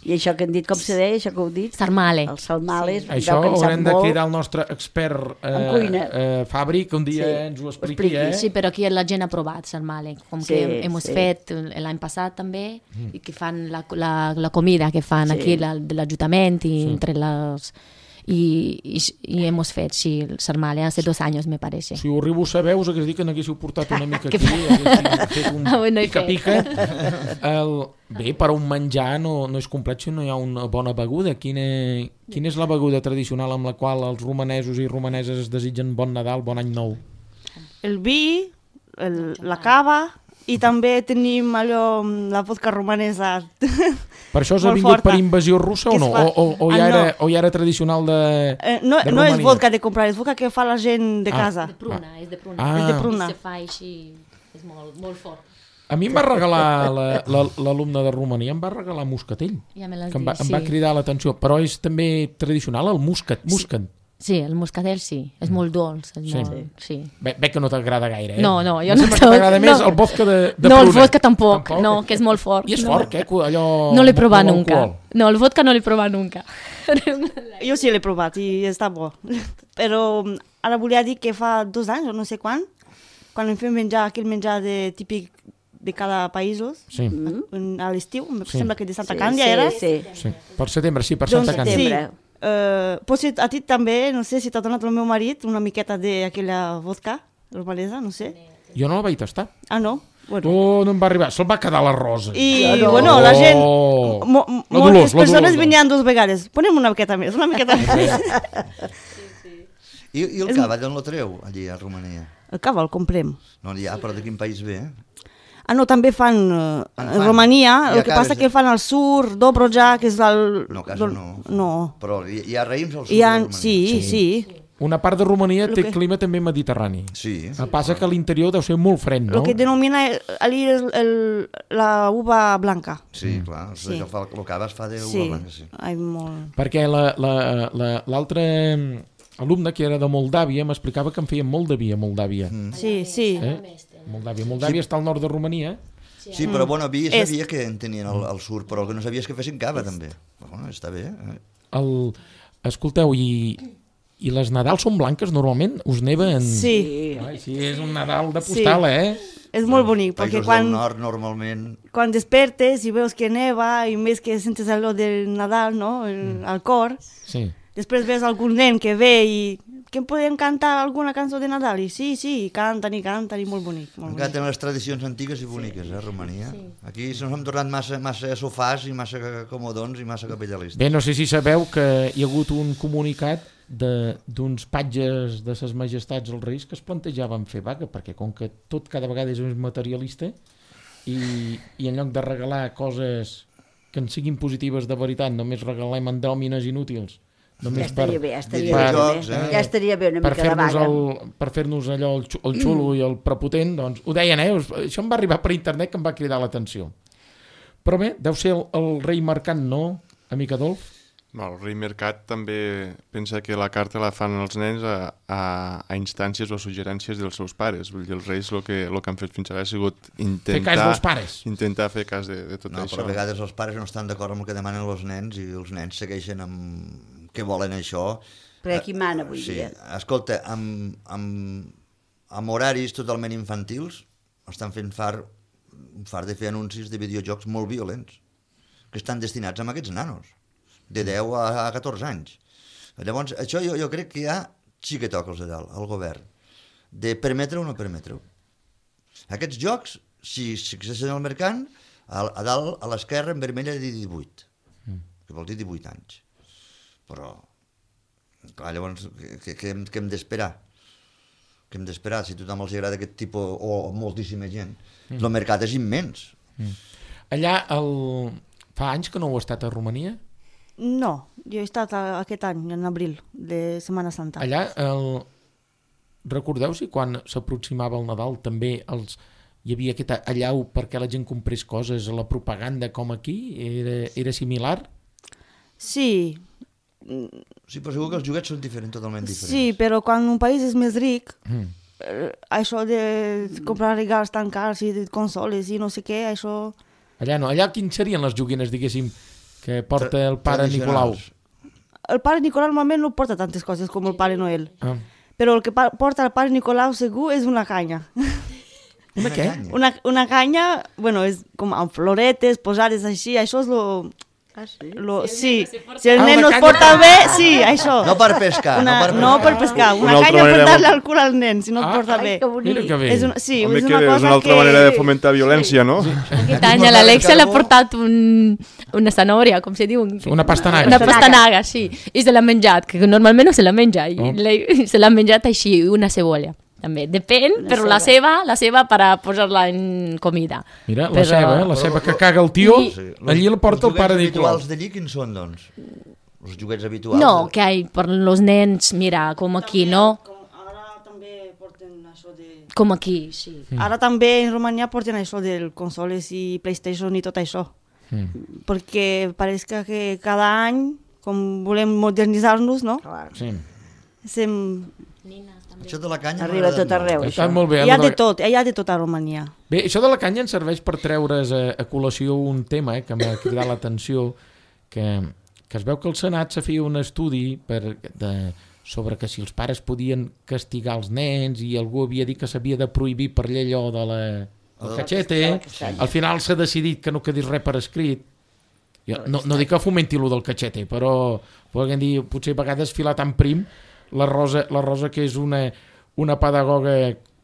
I això que han dit, com se deia, això que heu dit? Sarmale. Els salmales, sí. Això que en sap haurem de molt. cridar el nostre expert En eh, cuina. eh, Fabri, que un dia Sí, ens ho ho expliqui, expliqui, eh? Sí, però aquí la gent ha provat sarmale, com Sí, que hem sí. fet l'any passat també, i que fan la, la, la comida que fan Sí. aquí la, de l'Ajuntament i entre les... I, i, i hemos fet, sí, el sarmale hace dos años, me parece. Si ho arribo a saber, us hagués dit que n'haguéssiu portat una mica Que aquí, haguéssiu fet un Ah, bueno, he pica-pica. El... Bé, per a un menjar no, no és complet si no hi ha una bona beguda. Quina, quina és la beguda tradicional amb la qual els romanesos i romaneses es desitgen bon Nadal, bon any nou? El vi, el, la cava, i també tenim allò, la vodka romanesa. Per això us ha Molt vingut forta. per invasió russa o Que es no? fa- O, o, o, ja Ah, era, no. o ja era tradicional de, Eh, no, de no és Romania? vodka de comprar, és vodka que fa la gent de Ah. casa. De pruna, és de pruna. Ah. És de pruna. I se fa així, és molt, molt fort. A mi em va regalar la- la- l'alumne de Romania, em va regalar moscatell, Ja me l'has que em va, dit, em sí. va cridar l'atenció, però és també tradicional el muscat, muscat. Sí, el moscatell sí, és molt dolç. És Sí. molt, sí. Ve, ve que no t'agrada gaire, eh? No, no, jo Em no sembla que soc- t'agrada més no. el vodka de, de No, el pruna. vodka tampoc, no, que és molt fort. I és no. fort, eh? Allò... No l'he provat molt nunca. alcohol. No, el vodka no l'he provat nunca. Jo sí l'he provat i està bo. Però ara volia dir que fa dos anys, o no sé quan, quan em fem menjar aquell menjar de, típic de cada països, Sí, en- a l'estiu, em Sí. sembla que de Santa Sí, Càndia sí, era. Sí, sí. Per setembre, sí, per Doncs Santa Càndia. sí, Setembre. uh, potser a ti també, no sé si t'ha donat el meu marit una miqueta d'aquella vodka romanesa, no sé. Jo no la vaig tastar. Ah, no? Bueno. Oh, no em va arribar, se'l va quedar la rosa. I, Ja no. bueno, la gent, Oh. mo, La moltes Dolors, la persones Dolors. venien dues vegades. Ponem una miqueta més, una miqueta més. I, I el cava, d'on lo treu, allí a Romania? El cava el comprem. No n'hi ha, però de quin país ve? Ah, no, també fan uh, En en fan. Romania, I el que acabes passa de- que el fan al sur, Dobroja, que és el... No, a casa no. No. Però hi, hi ha raïms al sud Hi ha, de Romania. sí, sí. Una part de Romania Lo té que- clima també mediterrani. Sí. El que passa que a l'interior deu ser molt fred, no? Lo que denomina allí és el, la uva blanca. Sí, clar. Sí. Sí. El, fa, el cava es fa de Sí, uva blanca, sí. ai, molt... Perquè l'altre la, la, la, alumne, que era de Moldàvia, m'explicava que en feien molt de vi a Moldàvia. Mm. Sí, sí. Eh? Moldàvia. Moldàvia està al nord de Romania. Sí, però bueno, vi És- sabia que en tenien al, al sur, però el que no sabia és que fessin cava, també. Bueno, està bé. Eh? El, escolteu, i, i les Nadals són blanques normalment? Us neva en... Sí, Ai, sí, és un Nadal de postal, Sí. eh? és molt bonic, perquè Països quan, del nord, normalment... quan despertes i veus que neva i més que sentes allò del Nadal, no?, el, al cor, Sí. després ves algun nen que ve i que em podem cantar alguna cançó de Nadal, i sí, sí, i canten i canten i molt bonic. Molt Encara bonic. tenen les tradicions antigues i boniques, eh, Romania. Aquí se'ns hem tornat massa, massa sofàs i massa comodons i massa capitalistes. Bé, no sé si sabeu que hi ha hagut un comunicat de- d'uns patges de ses majestats els reis que es plantejaven fer vaga, perquè com que tot cada vegada és més materialista i, i en lloc de regalar coses que en siguin positives de veritat, només regalem endòmines inútils Ja estaria bé, ja estaria per- bé, jocs, també. eh? Ja estaria bé una per mica de fer-nos vaga. el, per fer-nos allò el, xu- el xulo i el prepotent, doncs ho deien, eh? Us- Això em va arribar per internet que em va cridar l'atenció. Però bé, deu ser el, el rei mercant, no, amic Adolf? No, el rei Mercat també pensa que la carta la fan els nens a, a, a instàncies o suggerències dels seus pares. Vull dir, els reis el que, el que han fet fins ara ha sigut intentar... Fer cas dels pares. Intentar fer cas de, de tot No, això. però a vegades els pares no estan d'acord amb el que demanen els nens i els nens segueixen amb què volen això. Perquè qui mana avui sí. dia? Escolta, amb, amb, amb horaris totalment infantils estan fent far, far de fer anuncis de videojocs molt violents que estan destinats a aquests nanos de deu a catorze anys. Llavors, això jo, jo crec que ja sí que toca els de dalt, al govern, de permetre o no permetre-ho. Aquests jocs, si s'accedeixen al mercat, a, a dalt, a l'esquerra, en vermella, de divuit. Mm. Que vol dir divuit anys. Però, clar, llavors, què, què, hem, què hem d'esperar? Què hem d'esperar? Si a tothom els agrada aquest tipus, o moltíssima gent, mm. el mercat és immens. Mm. Allà, el... fa anys que no heu estat a Romania? No, jo he estat a, aquest any, en abril, de Setmana Santa. Allà, el... recordeu si quan s'aproximava el Nadal també els... hi havia aquesta allau perquè la gent comprés coses, la propaganda com aquí, era, era similar? Sí, Sí, però segur que els joguets són diferents, totalment diferents. sí, però quan un país és més ric, Mm. eh, això de comprar regals tan cars i de consoles i no sé què, això... Allà no, allà quins serien les joguines, diguéssim, que porta el pare Tradicionals. Nicolau? El pare Nicolau normalment no porta tantes coses com el pare Noel, Ah. però el que pa- porta el pare Nicolau segur és una canya. Una què? canya. Una, una canya, bueno, és com amb floretes posades així, això és lo... Ah, sí? lo sí, si el Ah, nen una no es canya. porta bé, sí, això. No per pescar, Una, no per pescar. no per pescar, una, Una altra canya per manera dar-li molt- al cul al nen, si no Ah, es porta ai, bé. que bonic. Mira que bé. És una, sí, Home, és que una és cosa una altra que... manera de fomentar violència, no? Aquest any a l'Alexia l'ha portat un, una zanòria, com se diu? Una pastanaga. Una pastanaga, sí. I se l'ha menjat, que normalment no se la menja. I Oh. la- se l'ha menjat així, una cebolla. També, depèn, Una però la ceba. seva, la seva per a posar-la en comida. Mira, la Però- ceba, eh? la ceba que caga el tio, I- Sí. allí la porta el pare Els Nicolau. habituals d'allí quins són, doncs? Els joguets habituals? No, que hay per los nens, mira, com aquí, no? Ara també porten això de... Com aquí, sí. Mm. Ara també en Romania porten això del consoles i PlayStation i tot això. Mm. Perquè pareix que, que cada any, com volem modernitzar-nos, no? Clar. Sí. Sem... Això de la canya Arriba m'ha tot agradat arreu, molt. Està això. molt bé. Hi ha allò de de- tot, hi ha de tot a Romania. Bé, això de la canya ens serveix per treure's a, a col·lació un tema eh, que m'ha cridat l'atenció, que, que es veu que al Senat se feia un estudi per, de, sobre que si els pares podien castigar els nens i algú havia dit que s'havia de prohibir per llei allò de la, el cachete, al final s'ha decidit que no quedés res per escrit. Jo no, no dic que fomenti lo del cachete, però podem dir, potser a vegades filar tan prim, la Rosa, la Rosa que és una, una pedagoga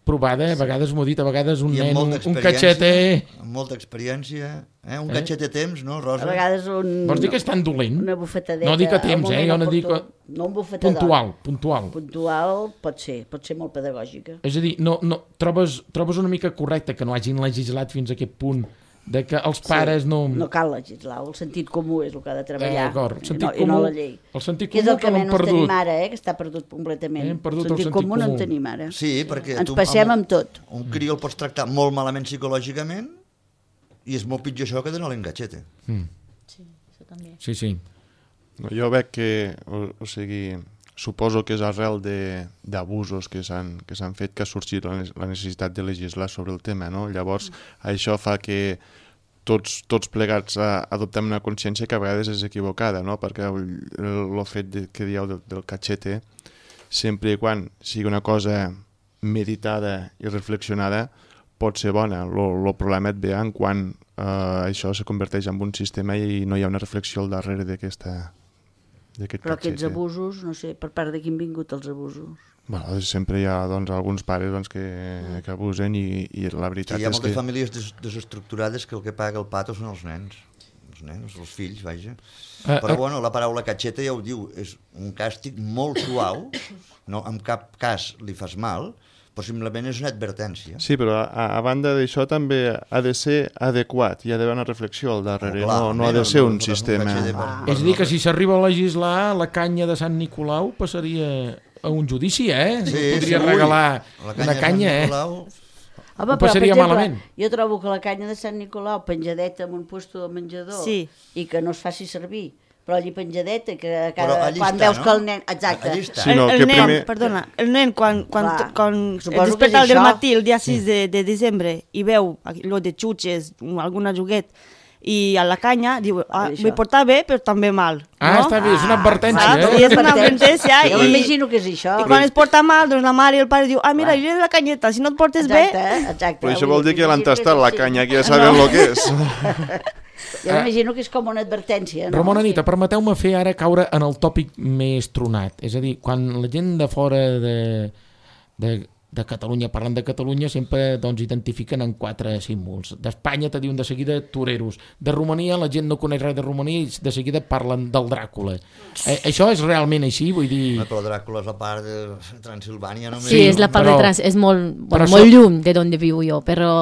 provada, a vegades m'ho he dit, a vegades un I amb nen, un, molta un experiència, cachete... amb molta experiència, eh? un Eh? cachete temps, no, A Rosa? vegades un... Vols dir que és tan dolent? Una bufetadeta. No dic a al temps, eh? moment Jo no dic... oportú. No un bufetador. Puntual, puntual. Puntual pot ser, pot ser molt pedagògica. És a dir, no, no, trobes, trobes una mica correcte que no hagin legislat fins a aquest punt de que els pares no... No cal legislar, el sentit comú és el que ha de Eh, treballar, d'acord, el i, sentit no, i no comú, la llei. el sentit Que és comú el que que l'hem menys tenim perdut. ara, eh? Que està perdut completament. Hem perdut el el sentit, sentit comú no comú. en tenim ara. Sí, perquè Ens tu passem amb tot. Un crió el pots tractar molt malament psicològicament i és molt pitjor això que donar-li un gatxete. Mm. Sí, això també. Sí, sí. No, jo veig que, o, o sigui, suposo que és arrel de- d'abusos que s'han que s'han fet que ha sorgit la, ne- la necessitat de legislar sobre el tema, no? Llavors, això fa que tots, tots plegats a, adoptem una consciència que a vegades és equivocada, no? Perquè el, el, el fet de, que dieu del, del cachete, sempre i quan sigui una cosa meditada i reflexionada, pot ser bona. El problema et ve en quan eh, això se converteix en un sistema i no hi ha una reflexió al darrere d'aquesta d'aquest Però aquests cachete. abusos, no sé, per part de qui han vingut els abusos? Bueno, sempre hi ha doncs, alguns pares doncs, que, que abusen i, i la Sí, veritat hi ha és moltes que... famílies des desestructurades que el que paga el pato són els nens. Els nens, els fills, vaja. Eh, Però eh. bueno, la paraula cacheta ja ho diu, és un càstig molt suau, no en cap cas li fas mal, possiblement és una advertència. Sí, però a, a banda d'això també ha de ser adequat, hi ha d'haver una reflexió al darrere, Oh, clar, no, no ha de no, ser no, un no, sistema... no, no, no, És a dir, que si s'arriba a legislar, la canya de Sant Nicolau passaria a un judici, eh? Sí, Podria sí, regalar la una canya, eh? Nicolau, Home, Ho però, per passaria exemple, malament. jo trobo que la canya de Sant Nicolau penjadeta en un puesto de menjador Sí. i que no es faci servir, però allí penjadeta, que Però cada, allí quan està, veus no? que el nen... Exacte. Allí està. Sí, no, el, que el nen, primer- perdona, el nen quan, quan, Clar, quan suposo es que desperta és del això. matí el dia sis de, de desembre i veu allò de xutxes, alguna juguet, i a la canya diu, ah, Això. vull portar bé però també mal. Ah, no? està bé, és una advertència, saps? eh? I és una advertència Jo i- m'imagino que és això. I quan es porta mal, doncs la mare i el pare diu, ah, mira, li la canyeta, si no et portes Exacte, bé... eh? Exacte. Però això Vull vol dir que l'han m'imagino tastat és la així. canya, que ja saben el que és. Jo m'imagino que és com una advertència, no? Ramon Anita, permeteu-me fer ara caure en el tòpic més tronat. És a dir, quan la gent de fora de, de, de Catalunya parlen de Catalunya, sempre doncs, identifiquen en quatre símbols. D'Espanya te diuen de seguida toreros. De Romania la gent no coneix res de Romania i de seguida parlen del Dràcula. Eh, això és realment així? Vull dir... Però Dràcula és la part de Transilvània només. Sí, és la part però- de trans, és molt, però bueno, molt això- llum de donde vivo jo, però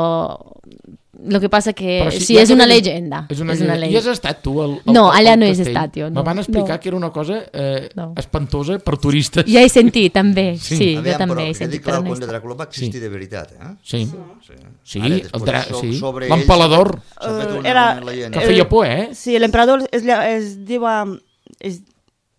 lo que passa que Però sí, ja és que una ves- llegenda. És una és una llegenda. I has estat tu al, al No, al allà no he castell? estat jo, no. Me van explicar No. que era una cosa eh, No. espantosa per turistes. Ja he sentit també, Sí. sí, Aviam, jo també però he he dit sentit, que però el no he conde estat. Dràcula va existir Sí. de veritat, eh? Sí, sí, sí, Ara, el després dra... so- sí. sobre ell L'empalador, S'ha fet una, Era- una leyenda. que feia por, eh? Sí, l'emperador es, lla- es diu... um, Es,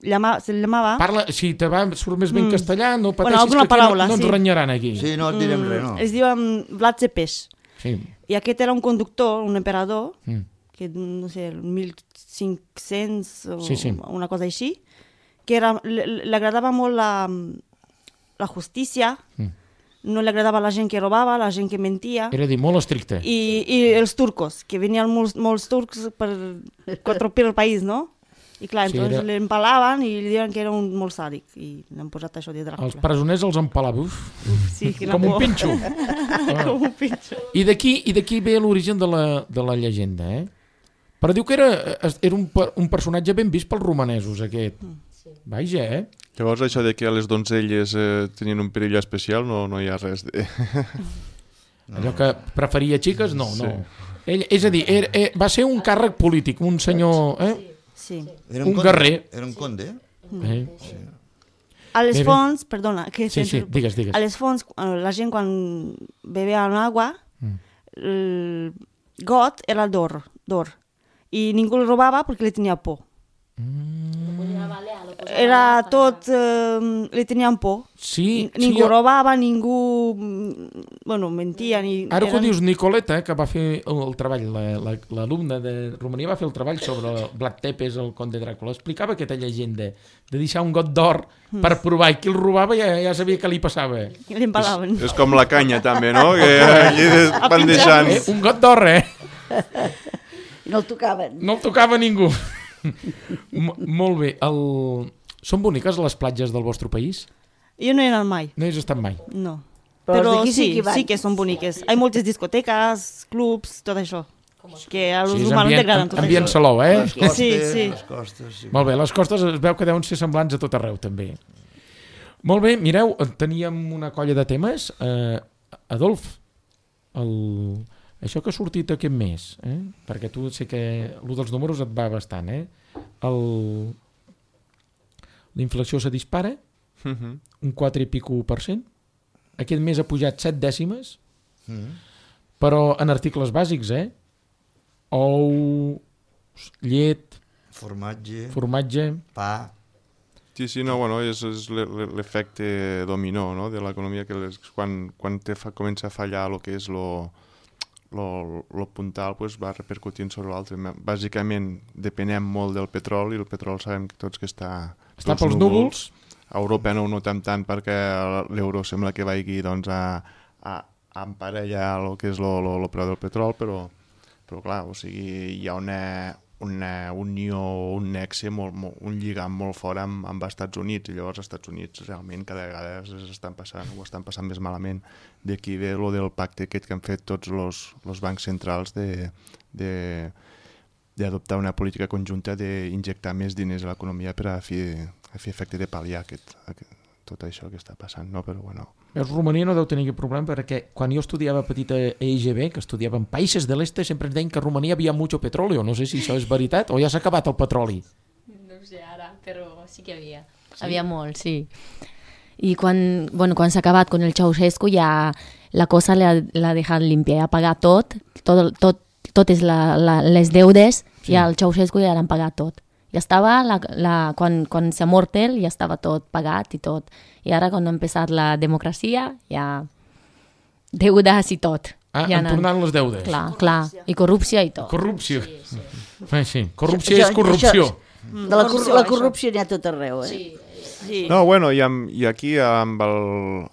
llama, se llamava... Parla, si te va, surt més ben Mm. castellà, no pateixis alguna que aquí paraula, no, no ens sí. renyaran aquí. Sí, no et direm res, no. Es diu um, Vlad Cepeix. Sí. I aquest era un conductor, un emperador, Mm. que no sé, el mil cinc-cents o Sí, sí. una cosa així, que era, li, li agradava molt la, la justícia, Mm. no li agradava la gent que robava, la gent que mentia, Era dir, molt estricte. i, i els turcos, que venien molts, molts turcs per controlar el país, no? I clar, Sí, entonces era- l'empalaven i li diuen que era un molt sàdic, i l'han posat això de Els Dràcula. presoners els empalava, uf, Sí, quina com un por. pinxo. Com un pinxo. I d'aquí i d'aquí ve l'origen de, la, de la llegenda, eh? Però diu que era, era un, per- un personatge ben vist pels romanesos, aquest. Vaja, eh? Llavors això de que les donzelles eh, tenien un perill especial no, no hi ha res de... Allò que preferia xiques, no, no. Sí. Ell, és a dir, era, era, va ser un càrrec polític, un senyor... Eh? Sí. Era un conde, guerrer. Era un conde. Eh? A les Bé, bé. fonts, perdona, que Sí, sí, sempre- digues, digues. a les fonts, eh, la gent quan bevia agua, Mm. el got era d'or, d'or. I ningú el robava perquè li tenia por. Era tot, eh, li tenien por. Sí, Ningú sí, robava, ningú, mm, bueno, mentia. Ni, ara que ho eren- dius, Nicoleta, que va fer el, el treball, la- la- l'alumne de Romania va fer el treball sobre Vlad Tepes, el conde Dràcula, explicava aquesta llegenda de deixar un got d'or per provar, i qui el robava ja, ja sabia què li passava. Eh, I l'empalaven. És com la canya també, no? Que allí van deixant... un got d'or, eh? I no el tocaven. No el tocava ningú. M molt bé. El... Són boniques les platges del vostre país? Jo no he anat mai, No hi has estat mai. no. Però els Però, d'aquí sí sí, que hi van. sí que són boniques. Hi ha moltes discoteques, clubs, tot això. Que a los Sí, és humanos ambient, t'agraden tot ambient això. salou, eh? Les costes, Sí, sí. les costes, sí. Molt bé, les costes es veu que deuen ser semblants a tot arreu, també. Molt bé, mireu, teníem una colla de temes. Eh, Adolf, el... això que ha sortit aquest mes, eh? Perquè tu sé que el dels números et va bastant, eh? El... La inflació se dispara, Mhm. un quatre i pico per cent. Aquest mes ha pujat set dècimes, Mm. però en articles bàsics, eh? Ou, llet, Formatge, formatge... pa... Sí, sí, no, bueno, és, és l'e- l'e- l'efecte dominó, no?, de l'economia, que les, quan, quan te fa, comença a fallar el que és lo, lo, lo puntal, pues va repercutint sobre l'altre. Bàsicament depenem molt del petroli, i el petroli sabem que tots que està... Està pels núvols. A Europa no ho notem tant perquè l'euro sembla que vagi doncs, a, a, a emparellar el que és lo, lo, lo preu del petroli, però, però clar, o sigui, hi ha una, una unió, un nexe, molt, molt, un lligam molt fort amb, amb els Estats Units, i llavors els Estats Units realment cada vegada estan passant, ho estan passant més malament. D'aquí ve lo del pacte aquest que han fet tots els bancs centrals de, de, d'adoptar una política conjunta d'injectar més diners a l'economia per a fer, a fer efecte de pal·liar aquest, aquest, tot això que està passant, no? Però bueno... Veus, Romania no deu tenir aquest problema perquè quan jo estudiava petit a E I G B, que estudiava en països de l'est, sempre ens deien que a Romania havia mucho petróleo. No sé si això és veritat o ja s'ha acabat el petroli. No ho sé ara, però sí que havia. Sí? Havia molt, sí. I quan, bueno, quan s'ha acabat con el Ceausescu ja la cosa l'ha deixat limpia, ha pagat tot, tot, tot totes la, la, les deudes, sí. I al Ceausescu ja l'han pagat tot. Ja estava, la, la, quan, quan s'ha mort ell, ja estava tot pagat i tot. I ara, quan ha empezat la democràcia, ja deudes i tot. Ah, ja han tornat les deudes. Clar, clar, i corrupció i tot. Corrupció. Sí, sí. Eh, sí. Corrupció és corrupció. Això, de la, cor la corrupció n'hi ha tot arreu, eh? Sí. Sí. No, bueno, i, amb, i aquí amb el,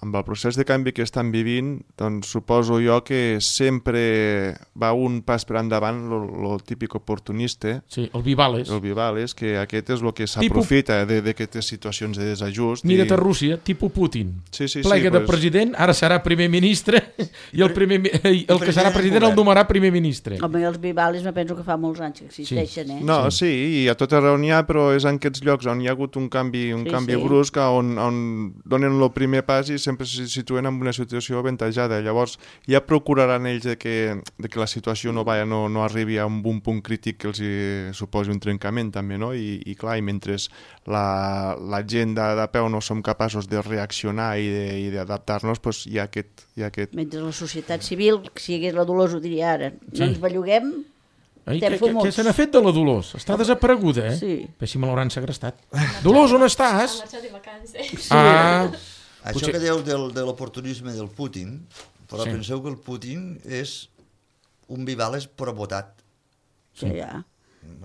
amb el procés de canvi que estan vivint, doncs suposo jo que sempre va un pas per endavant el típic oportunista, sí, el Vivales. El Vivales, que aquest és el que s'aprofita Tipo... d'aquestes situacions de desajust. Mira't i... a Rússia, tipus Putin. Sí, sí, Plega sí, de pues... president, ara serà primer ministre, i el, primer, el, el que serà president el nomenarà primer ministre. Home, els Vivales me penso que fa molts anys que existeixen, sí. eh? No, sí, i a tot arreu n'hi ha, però és en aquests llocs on hi ha hagut un canvi, un sí, canvi sí. brusc, on, on donen el primer pas i sempre se situen en una situació avantatjada. Llavors ja procuraran ells de que, de que la situació no, vaya, no, no arribi a un, un punt crític que els hi suposi un trencament també, no? I, i clar, i mentre la, la gent de, de peu no som capaços de reaccionar i d'adaptar-nos, doncs hi ha aquest, hi ha aquest... Mentre la societat civil, si hi hagués la Dolors ho diria ara, no sí. ens belluguem, Ai, què, què, què se n'ha fet de la Dolors? Està desapareguda, eh? Sí. Bé, si me l'hauran segrestat. Dolors, on estàs? Ha marxat de vacances. Sí. Ah, Això potser... que dieu del, de l'oportunisme del Putin, però Sí. penseu que el Putin és un Vivales però votat. Sí, ja.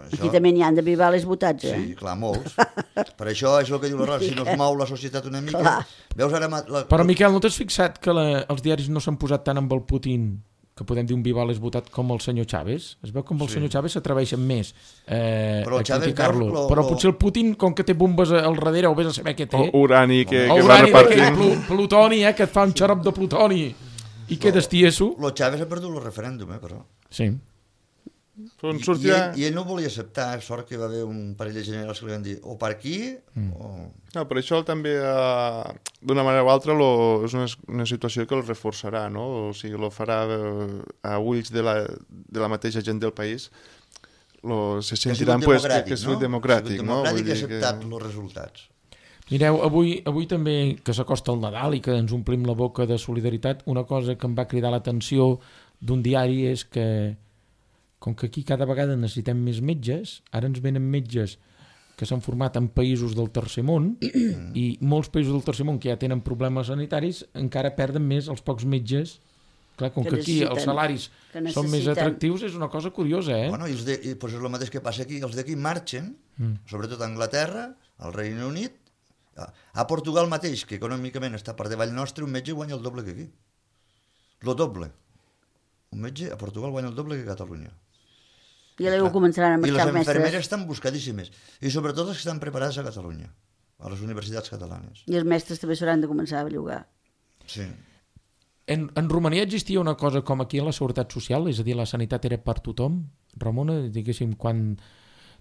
Això... Aquí també n'hi han de Vivales votats, eh? Sí, clar, molts. Per això és el que diu la Rosa, si no es mou la societat una mica... Clar. Veus ara... La... Però, Miquel, no t'has fixat que la, els diaris no s'han posat tant amb el Putin, que podem dir un Vivales votat, com el senyor Chávez? Es veu com el Sí. senyor Chávez s'atreveixen més eh, Però el a Chávez, criticar-lo. veus, lo- Però lo- potser el Putin, com que té bombes al darrere, o vés a saber què té... O urani que, o que va urani d'aquell repartint. plu, plutoni, eh, que et fa un xarop de plutoni. I què destieso? Lo Chávez ha perdut el referèndum, eh, però... Sí. Doncs I, i, sortirà... ell, I ell no ho volia acceptar, sort que va haver un parell de generals que li van dir o per aquí mm. o... No, però això també, eh, d'una manera o altra, lo, és una, una situació que el reforçarà, no? O sigui, lo farà eh, a ulls de la, de la mateixa gent del país, lo, se sentiran pues, que, que ha sigut democràtic, no? no? Ha sigut democràtic Vull i ha dir acceptat que... els resultats. Mireu, avui, avui també, que s'acosta el Nadal i que ens omplim la boca de solidaritat, una cosa que em va cridar l'atenció d'un diari és que, com que aquí cada vegada necessitem més metges, ara ens venen metges que s'han format en països del tercer món i molts països del tercer món que ja tenen problemes sanitaris encara perden més els pocs metges. Clar, com que, Que aquí els salaris que són més necessiten. atractius, és una cosa curiosa, eh? Bueno, i, els de, i pues és el mateix que passa aquí, els d'aquí marxen, Mm. sobretot a Anglaterra, al Regne Unit, a, a Portugal mateix, que econòmicament està per davall nostre, un metge guanya el doble que aquí. Lo doble. Un metge a Portugal guanya el doble que a Catalunya. I ara ho començaran a I marxar les els mestres. infermeres estan buscadíssimes. I sobretot les que estan preparades a Catalunya, a les universitats catalanes. I els mestres també s'hauran de començar a bellugar. Sí. En, en Romania existia una cosa com aquí a la Seguretat Social, és a dir, la sanitat era per tothom. Ramona, diguéssim, quan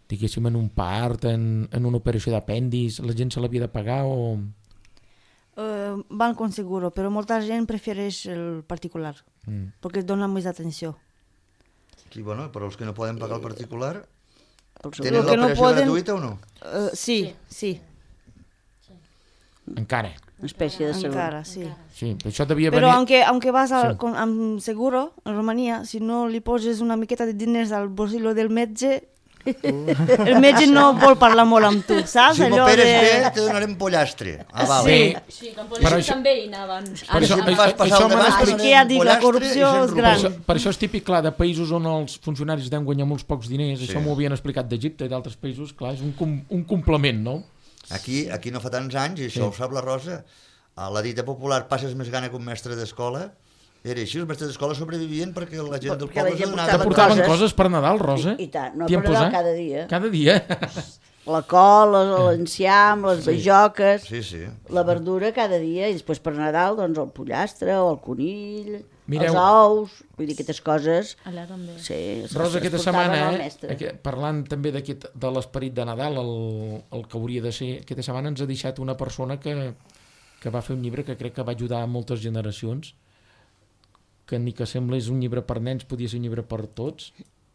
diguéssim en un part, en, en una operació d'apèndix, la gent se l'havia de pagar o... Uh, van con seguro, però molta gent prefereix el particular, Mm. perquè es dona més atenció. Sí, bueno, però els que no poden pagar el particular, El tenen Lo que no l'operació poden- gratuïta o no? Uh, sí, sí, Encara. Una espècie de seguro. encara, sí. Sí, això devia Però venir... aunque, aunque vas al, Sí. con, amb seguro, en Romania, si no li poses una miqueta de diners al bolsillo del metge, el metge no vol parlar molt amb tu, saps? Si Allò m'operes de... bé, te donarem pollastre. Ah, val. Sí. Sí, com Per polítics això- també hi anaven. Per això, Si em això, fas passar això el m'han debat, explicat- És que ja dic, la pollastre corrupció i gent és Per gran. això, per això és típic, clar, de països on els funcionaris deuen guanyar molts pocs diners, Sí. això m'ho havien explicat d'Egipte i d'altres països, clar, és un, com, un complement, no? Aquí, aquí no fa tants anys, i això Sí. ho sap la Rosa, a la dita popular, passes més gana que un mestre d'escola, era així, els mestres d'escola sobrevivien perquè la gent del Perquè la poble gent se Te portava donava... portaven coses. coses per Nadal, Rosa? I, i tant, no T'hi per han Nadal posat? cada dia. Cada dia. La col, l'enciam, les bajoques, Sí, sí. la verdura cada dia, i després per Nadal doncs el pollastre o el conill, Mireu. els ous, vull dir, aquestes coses. Allà també. Sí, es- Rosa, es aquesta portaven setmana, al eh, mestre. aqu- parlant també d'aquest de l'esperit de Nadal, el, el que hauria de ser, aquesta setmana ens ha deixat una persona que que va fer un llibre que crec que va ajudar a moltes generacions, que ni que sembla és un llibre per nens, podia ser un llibre per tots.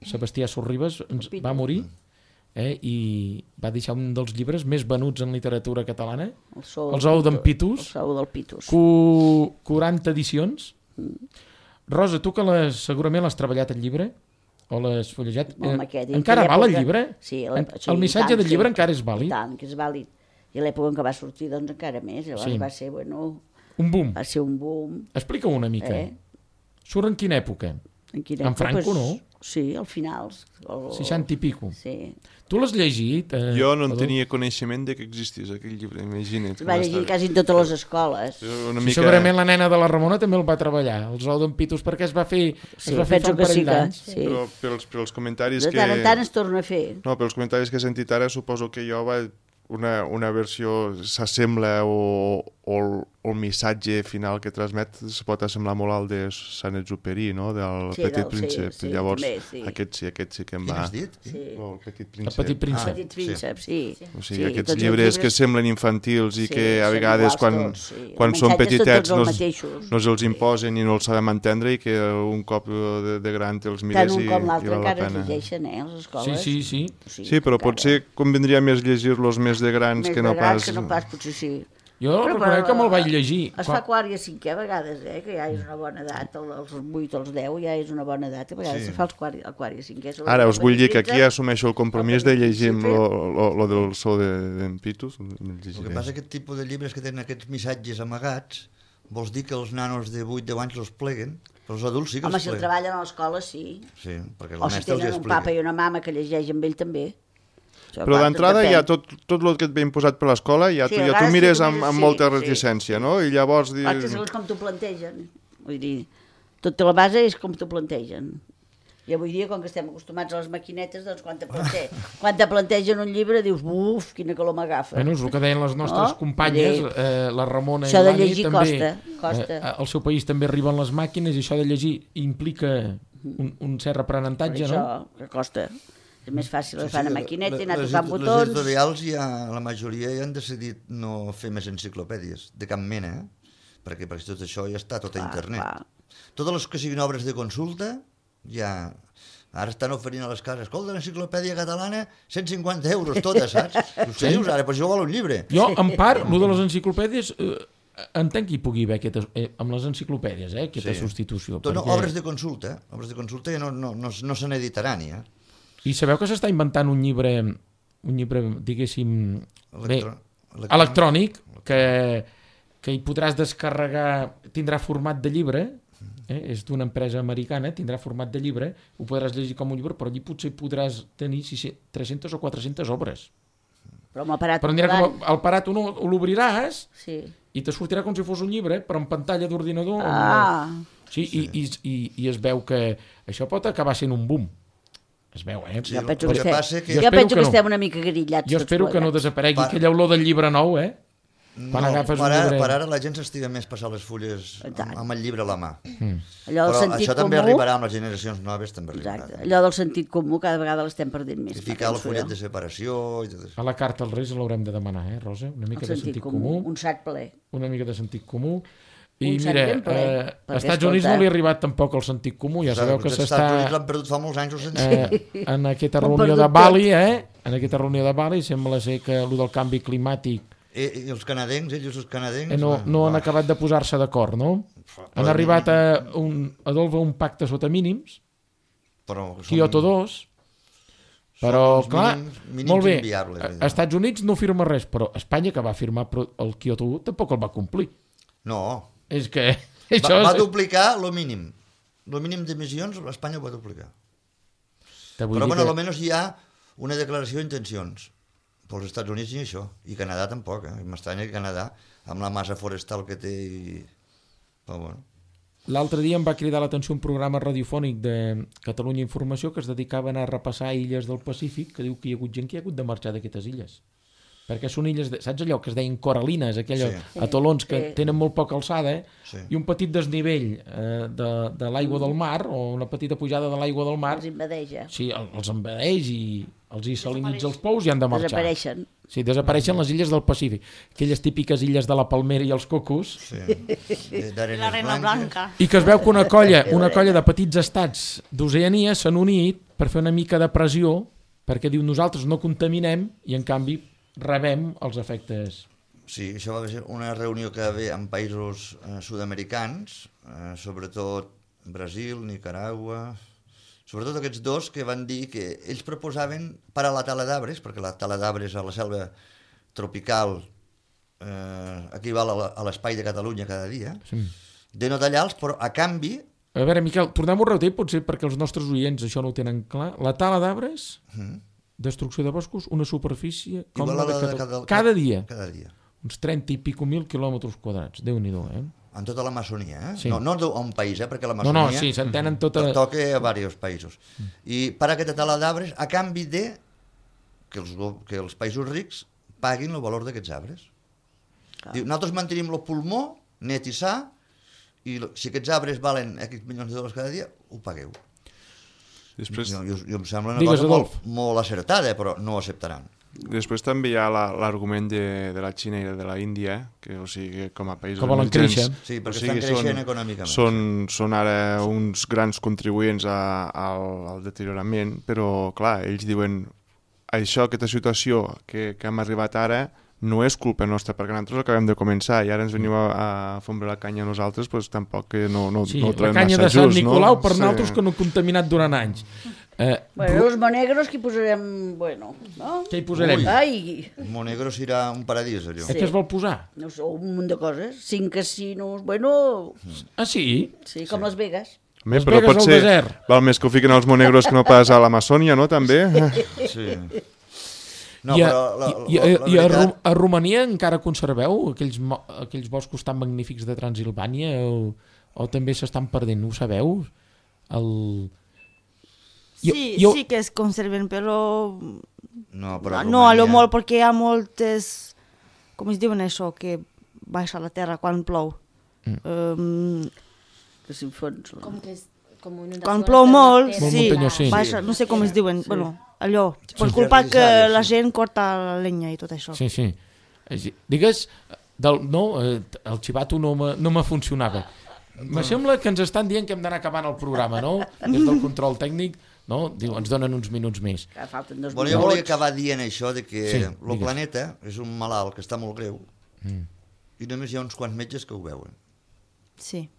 Sebastià Sorribes ens va morir, eh, i va deixar un dels llibres més venuts en literatura catalana, El sou Els ous d'en Pitus, El sou del Pitus. cu- quaranta edicions. Rosa, tu que les, segurament l'has treballat el llibre, o l'has fullejat, Home, eh, aquest, encara aquella val el època- llibre? Sí, En- sí, el i missatge tant, del llibre sí. encara és I vàlid? tant, que és vàlid. I a l'època en què va sortir, doncs encara més. Llavors Sí. va ser, bueno, Un boom. va ser un boom. Explica-ho una mica. Eh? Surt en quina època? En, quina En època? Franco, Pues, no? Sí, al finals. El... seixanta i pico. Sí. Tu l'has llegit? Eh, Jo no en Adolf? tenia coneixement de que existís aquell llibre, imagina't. Es va llegir quasi en totes les escoles. Una Sí, mica... segurament la nena de la Ramona també el va treballar, els ous d'en Pitus, perquè es va fer, Sí, es va fer fa penso un que sí parell que... d'anys. Sí. Però pels, pels comentaris De que... tant en tant es torna a fer. No, pels comentaris que he sentit ara suposo que jo va una, una versió s'assembla o, o, el, o el missatge final que transmet se pot assemblar molt al de Saint-Exupéry, no? Del Sí, Petit del- sí, Príncep. sí, Llavors, també, sí. aquest sí, aquest sí que em Quin va... has dit? Sí. Oh, el Petit El Príncep. Petit Príncep. Ah, Petit príncep, sí. O sigui, sí, aquests tots els llibres, que semblen infantils i Sí, que a són vegades iguals quan, tots, sí. quan Els són missatges són petitets tots no, els els- mateixos. no els imposen i no els sabem entendre i que un cop de, de gran te'ls Tant mires un i, com i l'altre val la encara es pena. llegeixen, eh, a les escoles. Sí, sí, sí. Sí, però encara. potser convindria més llegir-los més de grans Més que no de grans pas... que no pas, potser sí. Jo Però, reconec però, que me'l vaig llegir. Es fa quart i a cinquè a vegades, eh, que ja és una bona edat, el- els vuit o els deu ja és una bona edat, a vegades Sí. se fa els quart, el quart i a cinquè. Ara us vull dir que aquí ja assumeixo el compromís de llegir lo, lo, lo del so d'en de, Pitus. El que passa és que aquest tipus de llibres que tenen aquests missatges amagats, vols dir que els nanos de vuit deu anys els pleguen, però els adults sí que Home, els si el pleguen. treballen a l'escola, sí. Sí, perquè el O si mestre els tenen un explica. papa i una mama que llegeix amb ell també. Això, Però clar, d'entrada depèn. ja tot, tot el que et ve imposat per l'escola ja, Sí, tu, a ja tu vegades mires sí, tu amb, mires, amb sí, molta sí. reticència, no? I llavors... Clar, que Dius... segons com t'ho plantegen. Vull dir, tota la base és com t'ho plantegen. I avui dia, com que estem acostumats a les maquinetes, doncs quan te, plante... quan te plantegen un llibre dius, buf, quina calor m'agafa. Bueno, és el que deien les nostres No? companyes, Vull dir, eh, la Ramona això i de l'Anni llegir també. costa, costa. Eh, al seu país també arriben les màquines i això de llegir implica un, un cert Per aprenentatge, això, no? que costa. És més fàcil Sí, agafar sí, una maquineta i anar les- tocant Les botons. editorials ja, la majoria ja han decidit no fer més enciclopèdies, de cap mena, eh? perquè, perquè tot això ja està tot a Clar, internet. clar. Totes les que siguin obres de consulta, ja... Ara estan oferint a les cases, escolta, l'enciclopèdia catalana, cent cinquanta euros totes, saps? I què dius ara? Però això val un llibre. Jo, en part, el de les enciclopèdies, eh, entenc que hi pugui haver aquesta, eh, amb les enciclopèdies, eh, aquesta Sí. substitució. Tot, no, perquè- obres de consulta, eh? obres de consulta ja no, no, no, no se n'editaran, ja. I sabeu que s'està inventant un llibre, un llibre, diguéssim, bé, Electro- electrònic, que, que hi podràs descarregar, tindrà format de llibre, eh? És d'una empresa americana, tindrà format de llibre, ho podràs llegir com un llibre, però allí potser podràs tenir tres-centes o quatre-centes obres. Però amb l'aparat Però anirà volant, com el parat, uno, l'obriràs sí. i te sortirà com si fos un llibre, però en pantalla d'ordinador. Ah, Sí, i, i, i, i es veu que això pot acabar sent un boom. Es veu, eh? Sí, jo el- penso el que, que estem, passa que- jo Jo espero penso que que no. estem una mica grillats Jo tots espero que no plegats. desaparegui Pa- aquella olor del llibre nou, eh? Quan No, agafes per, un ara, llibre... per ara la gent s'estiga més passar les fulles I tant. amb, amb el llibre a la mà. Mm. Allò del Però sentit això també comú, arribarà amb les generacions noves, també exacte, arribarà. allò del sentit comú cada vegada l'estem perdent més. I ficar el penso fullet jo. de separació i tot això. A la carta als Reis l'haurem de demanar, eh, Rosa? Una mica El de sentit sentit comú, comú, un sac ple. una mica de sentit comú. I Un sac mira, ben ple, eh, perquè, als Estats Units escolta- no li ha arribat tampoc el sentit comú, ja sabeu que Els Estats Units s'està l'han perdut fa molts anys, el sentit. eh, en aquesta Ho han reunió perdut de Bali, eh? En aquesta reunió de Bali sembla ser que el del canvi climàtic I, I els canadencs, ells els canadencs... eh, no, va, no han va. acabat de posar-se d'acord, no? Han però- arribat a un, Adolf, a un pacte sota mínims, Però són- Kyoto dos, però, els clar, mínims- mínims molt bé, inviables, a- vull dir. als Estats Units no firma res, però Espanya, que va firmar però el Kyoto un, tampoc el va complir. No, És que va, això va és... duplicar lo mínim. Lo mínim d'emissions, Espanya ho va duplicar. Te vull Però, dir bueno, que- almenys hi ha una declaració d'intencions. Però els Estats Units ni això. I Canadà tampoc, eh? M'estranya que Canadà, amb la massa forestal que té... I... Però, bueno. L'altre dia em va cridar l'atenció un programa radiofònic de Catalunya Informació que es dedicava a anar a repassar illes del Pacífic, que diu que hi ha hagut gent que hi ha hagut de marxar d'aquestes illes. Perquè són illes, de, saps allò que es deien coralines, aquells Sí. atolons que Sí. tenen molt poca alçada, eh? Sí. I un petit desnivell eh, de, de l'aigua del mar, o una petita pujada de l'aigua del mar, Els invadeja. sí, el- els envaeix i els hi salinitza els pous i han de marxar. Desapareixen. Sí, desapareixen les illes del Pacífic. Aquelles típiques illes de la Palmera i els cocos. Sí. D'Arenes La reina blanca. I que es veu que una colla, una colla de petits estats d'Oceania s'han unit per fer una mica de pressió, perquè diu nosaltres no contaminem i en canvi rebem els efectes. Sí, això va ser una reunió que va haver en països eh, sud-americans, eh, sobretot Brasil, Nicaragua, sobretot aquests dos que van dir que ells proposaven parar la tala d'arbres, perquè la tala d'arbres a la selva tropical eh, equival a la- a l'espai de Catalunya cada dia, Sí. de no tallar-los, però a canvi, A veure, Miquel, tornem-ho a repetir, potser perquè els nostres oients això no ho tenen clar. La tala d'arbres, destrucció de boscos, una superfície com igual la a de la de Catalunya. cada, Cada dia, cada dia, uns trenta i pico mil quilòmetres quadrats. Déu-n'hi-do, eh? en tota l'Amazonia, eh? Sí. No, no a un país, eh? perquè No, l'Amazonia no, sí, s'entenen tota... to- toca a diversos països. I per aquesta tala d'arbres a canvi de que els, go- que els països rics paguin el valor d'aquests arbres. Diu, nosaltres mantenim el pulmó net i sa, i lo- si aquests arbres valen X milions de dòlars cada dia, ho pagueu. Després, Jo, jo, jo em sembla una Digues, cosa molt, Adolf. molt acertada, però no ho acceptaran. després també hi ha la- l'argument de, de la Xina i de la Índia, que o sigui, com a països Que volen emergents, créixer. Sí, perquè o sigui, estan creixent són, econòmicament. Són, són ara uns grans contribuents a, al, al deteriorament, però clar, ells diuen això, aquesta situació que, que hem arribat ara no és culpa nostra, perquè nosaltres acabem de començar i ara ens veniu a, a fondre la canya a nosaltres, doncs tampoc que no, no, Sí, no ho la trobem canya massa de Sant just, Nicolau no? per Sí. nosaltres que no ha contaminat durant anys. Eh, Bueno, els monegros que hi posarem, bueno, no? què hi posarem? Ui. Ai, Monegro serà un paradís, allò. Eh, què es vol posar? no sé, un munt de coses. Cinc casinos, bueno, Ah, sí? sí, com Las Vegas. Home, Les però Vegas pot al ser, desert. val més que ho fiquen els monegros que no pas a l'Amazònia, no, també? Sí. No, I a, però la, i, la, i, la i a, Ru- veritat... a Romania encara conserveu aquells, mo- aquells boscos tan magnífics de Transilvània o, o també s'estan perdent, ho sabeu? El... Jo- Sí, jo- sí que es conserven, però No, però a no a lo Romania- molt perquè hi ha moltes, com es diuen això, que baixa a la terra quan plou. Mm. Um, Que s'infons. Com que és com inundació quan plou per la molt, terra. Molt sí, muntanyós, sí. baixa, no sé com es diuen, bueno, allò, per Sí. culpa que Fertilitzades, la sí. gent corta la llenya i tot això. Sí, sí. Eh, Digues, del, no, eh, el xivato no me, no me funcionava. Me sembla que ens estan dient que hem d'anar acabant el programa, no? Des del control tècnic, no? Diu, ens donen uns minuts més. Que falten dos Bueno, jo volia minuts. acabar dient això de que Sí, el digues. planeta és un malalt que està molt greu Mm. i només hi ha uns quants metges que ho veuen. Sí.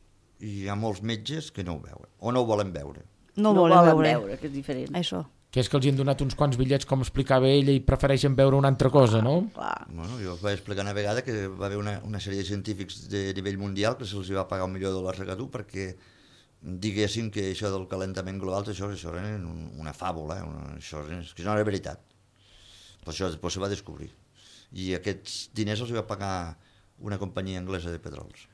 I hi ha molts metges que no ho veuen, o no ho volen veure. No, No volen, volen veure. veure, que és diferent. Això. Que és que els hi han donat uns quants bitllets, com explicava ella, i prefereixen veure una altra cosa, no? Clar. Bueno, jo us vaig explicar una vegada que va haver una, una sèrie de científics de nivell mundial que se'ls va pagar un milió de dòlars a cada un perquè diguessin que això del calentament global, això, això era un- una fàbula, eh? una, això és, que no era veritat. Però això després se va descobrir. I aquests diners els va pagar una companyia anglesa de petrols.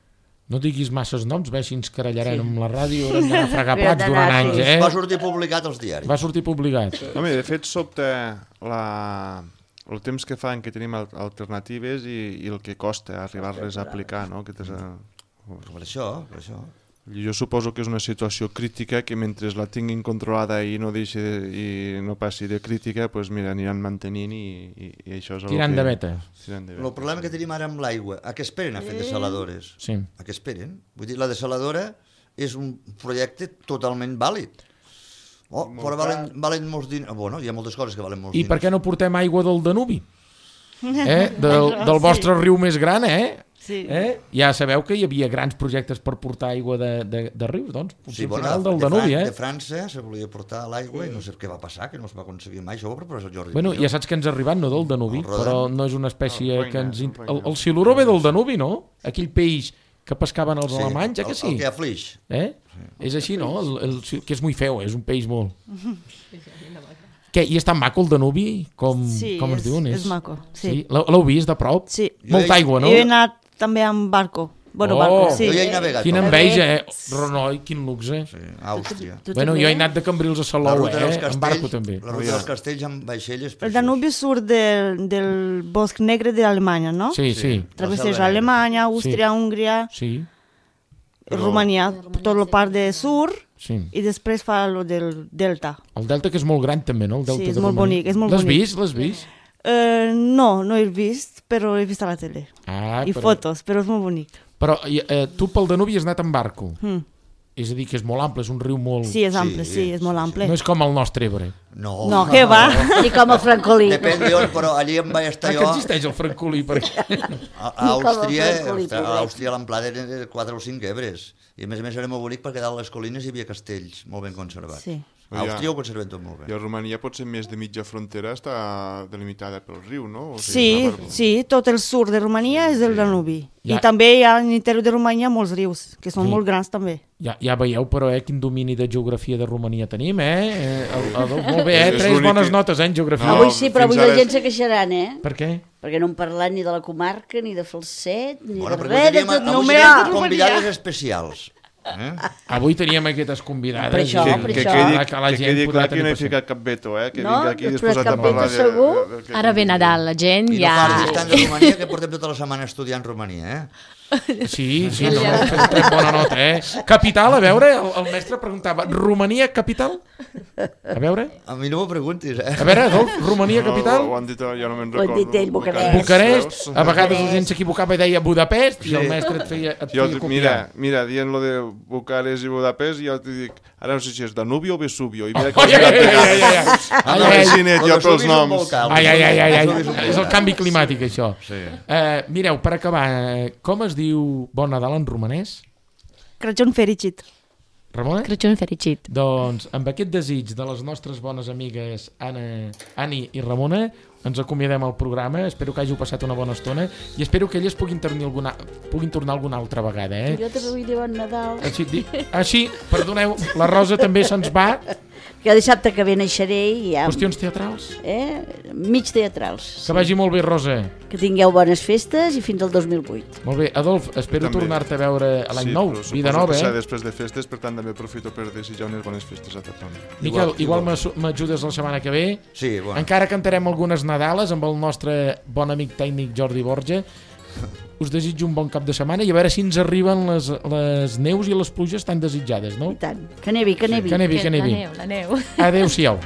No diguis masses noms, ve, si ens carallarem amb la ràdio, haurem d'anar a fregar Haurem plats d'anar, durant sí. anys, eh? Va sortir publicat als diaris. Va sortir publicat. Home, de fet, sobta la... el temps que fan que tenim al- alternatives i, i el que costa arribar-les a aplicar, no? Aquestes, eh, Per això, per això. jo suposo que és una situació crítica que mentre la tinguin controlada i no deixi de, i no passi de crítica, pues mira, aniran mantenint i, i, i això és el Tirant que... de veta. Tirant de El veta. problema que tenim ara amb l'aigua, a què esperen a fer desaladores? Sí. A què esperen? Vull dir, la desaladora és un projecte totalment vàlid. Oh, però valen, valen molts diners. Bueno, hi ha moltes coses que valen molts I diners. per què no portem aigua del Danubi? Eh? Del, del vostre riu més gran, eh? Sí. eh? Ja sabeu que hi havia grans projectes per portar aigua de, de, de rius, doncs potser Sí, al bueno, final de, del de, Danubi, Fran eh? de França se volia portar l'aigua i no sé què va passar, que no es va aconseguir mai. Això ho va proposar el Jordi Bueno, Pujol. ja saps que ens ha arribat, no del Danubi, El Rodan. però no és una espècie El Roine, que ens... el int- Roine. El, el siluró ve del Danubi, no? Aquell peix que pescaven els Sí, alemanys, eh que el, sí? el que aflix. Eh? És així, no? El, el, que és molt feu, és un peix molt... Què, i és tan maco el Danubi? Com, Sí, com es és- diuen? és maco, sí. L'heu l'heu vist de prop? Sí. Molta aigua, no? Jo he anat també amb barco. Bueno, Oh! barco, sí. Jo ja he navegat. Quina per- enveja, eh? Renoi, quin luxe. Sí, Àustria. Tu Bueno, també? jo he anat de Cambrils a La Salou, ruta dels eh? En barco castells, també. la ruta dels castells amb vaixelles. El preciós. Danubi surt del, del bosc negre d'Alemanya, no? Sí, sí, Travesseja selva negra. Alemanya, Àustria, Húngria, sí, Romania, tot la part de sur, sí. i després fa lo del delta. El delta que és molt gran també, no? El delta Sí, és de molt Romania. bonic, és molt L'has bonic. vist? L'has vist? Eh, no, no he vist, però he vist a la tele. Ah, I però, fotos, però és molt bonic. Però eh, tu pel Danubi has anat en barco. Mm. És a dir, que és molt ample, és un riu molt... Sí, és ample, sí, Sí, és molt ample. No és com el nostre Ebre. No, No, què va? Ni com el francolí. Depèn d'on, però allí em vaig Ah, estar que jo... existeix el francolí, perquè... A, a Ni com el Àustria, francolí, a pobret. Àustria l'amplada era de quatre o cinc ebres. I a més a més era molt bonic perquè dalt les colines hi havia castells molt ben conservats. Sí. A Àustria ho conserven tot molt I bé. a Romania potser més de mitja frontera està delimitada pel riu, no? O Sí, no per- sí, tot el sud de Romania és del Danubi. Ja. I també hi ha a l'interior de Romania molts rius, que són Sí. molt grans també. Ja, ja veieu, però, eh, quin domini de geografia de Romania tenim, eh? eh el, el, molt bé, eh? És Tres l'únic bones que- notes, eh, en geografia. No, Avui sí, però fins avui la ara gent és- se queixaran, eh? Per què? Perquè no hem parlat ni de la comarca, ni de Falset, ni Bueno, de perquè res, de teníem, tot avui només teníem de Romania. convidades especials. Eh? Avui teníem aquestes convidades. Per això, i- per que, això. quedi, que la que gent quedi podrà clar que tenir no he pressió. ficat cap veto, eh? Que No? vinc aquí Després disposat a cap veto parlar de... segur? de- de- Ara ve Nadal, la gent I no ja... parlis tant de Romania, que portem tota la setmana estudiant Romania, eh? Sí, sí, no, no, fem, fem bona nota, eh? Capital, a veure, el, el mestre preguntava, Romania, capital? A veure, A mi no m'ho preguntis, eh? a veure, Adolf, Romania, No, capital? ho han dit, ja no me'n Ho han recordo. dit ell, Bucarest. Bucarest, a vegades la gent s'equivocava i deia Budapest i el mestre et feia, et Jo, feia copiar. mira, mira, dient lo de Bucarest i Budapest, jo t'hi dic, ara no sé si és Danubi o Vesubio, i mira que Ai, ai, ai, ai, ai, ai. Ai, Ai, ai, Cinet, El jo Vesuvi pels és un noms. volcà, Ai, ai, ai, ai, ai. Vesuvi és un volcà. És el canvi climàtic, això. Sí. Eh, mireu, per acabar, eh, com es diu Bon Nadal en romanès? Crăciun fericit. Ramona? Crăciun fericit. Doncs amb aquest desig de les nostres bones amigues Anna, Ani i Ramona ens acomiadem al programa, espero que hàgiu passat una bona estona i espero que elles puguin, tornar alguna, puguin tornar alguna altra vegada, eh? Jo també vull dir bon Nadal. Així, dic, així, perdoneu, la Rosa també se'ns va. Que dissabte que ve naixeré i ja... Qüestions teatrals. Eh? Mig teatrals. Que vagi molt bé, Rosa. Que tingueu bones festes i fins al dos mil vuit. Molt bé, Adolf, espero També. tornar-te a veure a l'any Sí, nou, però vida suposo nova, que serà eh? després de festes, per tant també aprofito per desitjar unes bones festes a tothom. Miquel, Igual, igual igual. m'asu- m'ajudes la setmana que ve. Sí, bueno. Encara cantarem algunes Nadales amb el nostre bon amic tècnic Jordi Borja. Us desitjo un bon cap de setmana i a veure si ens arriben les, les neus i les pluges tan desitjades, no? I tant. Que nevi, que nevi. Que nevi, que La nevi. neu, la neu. Adéu-siau.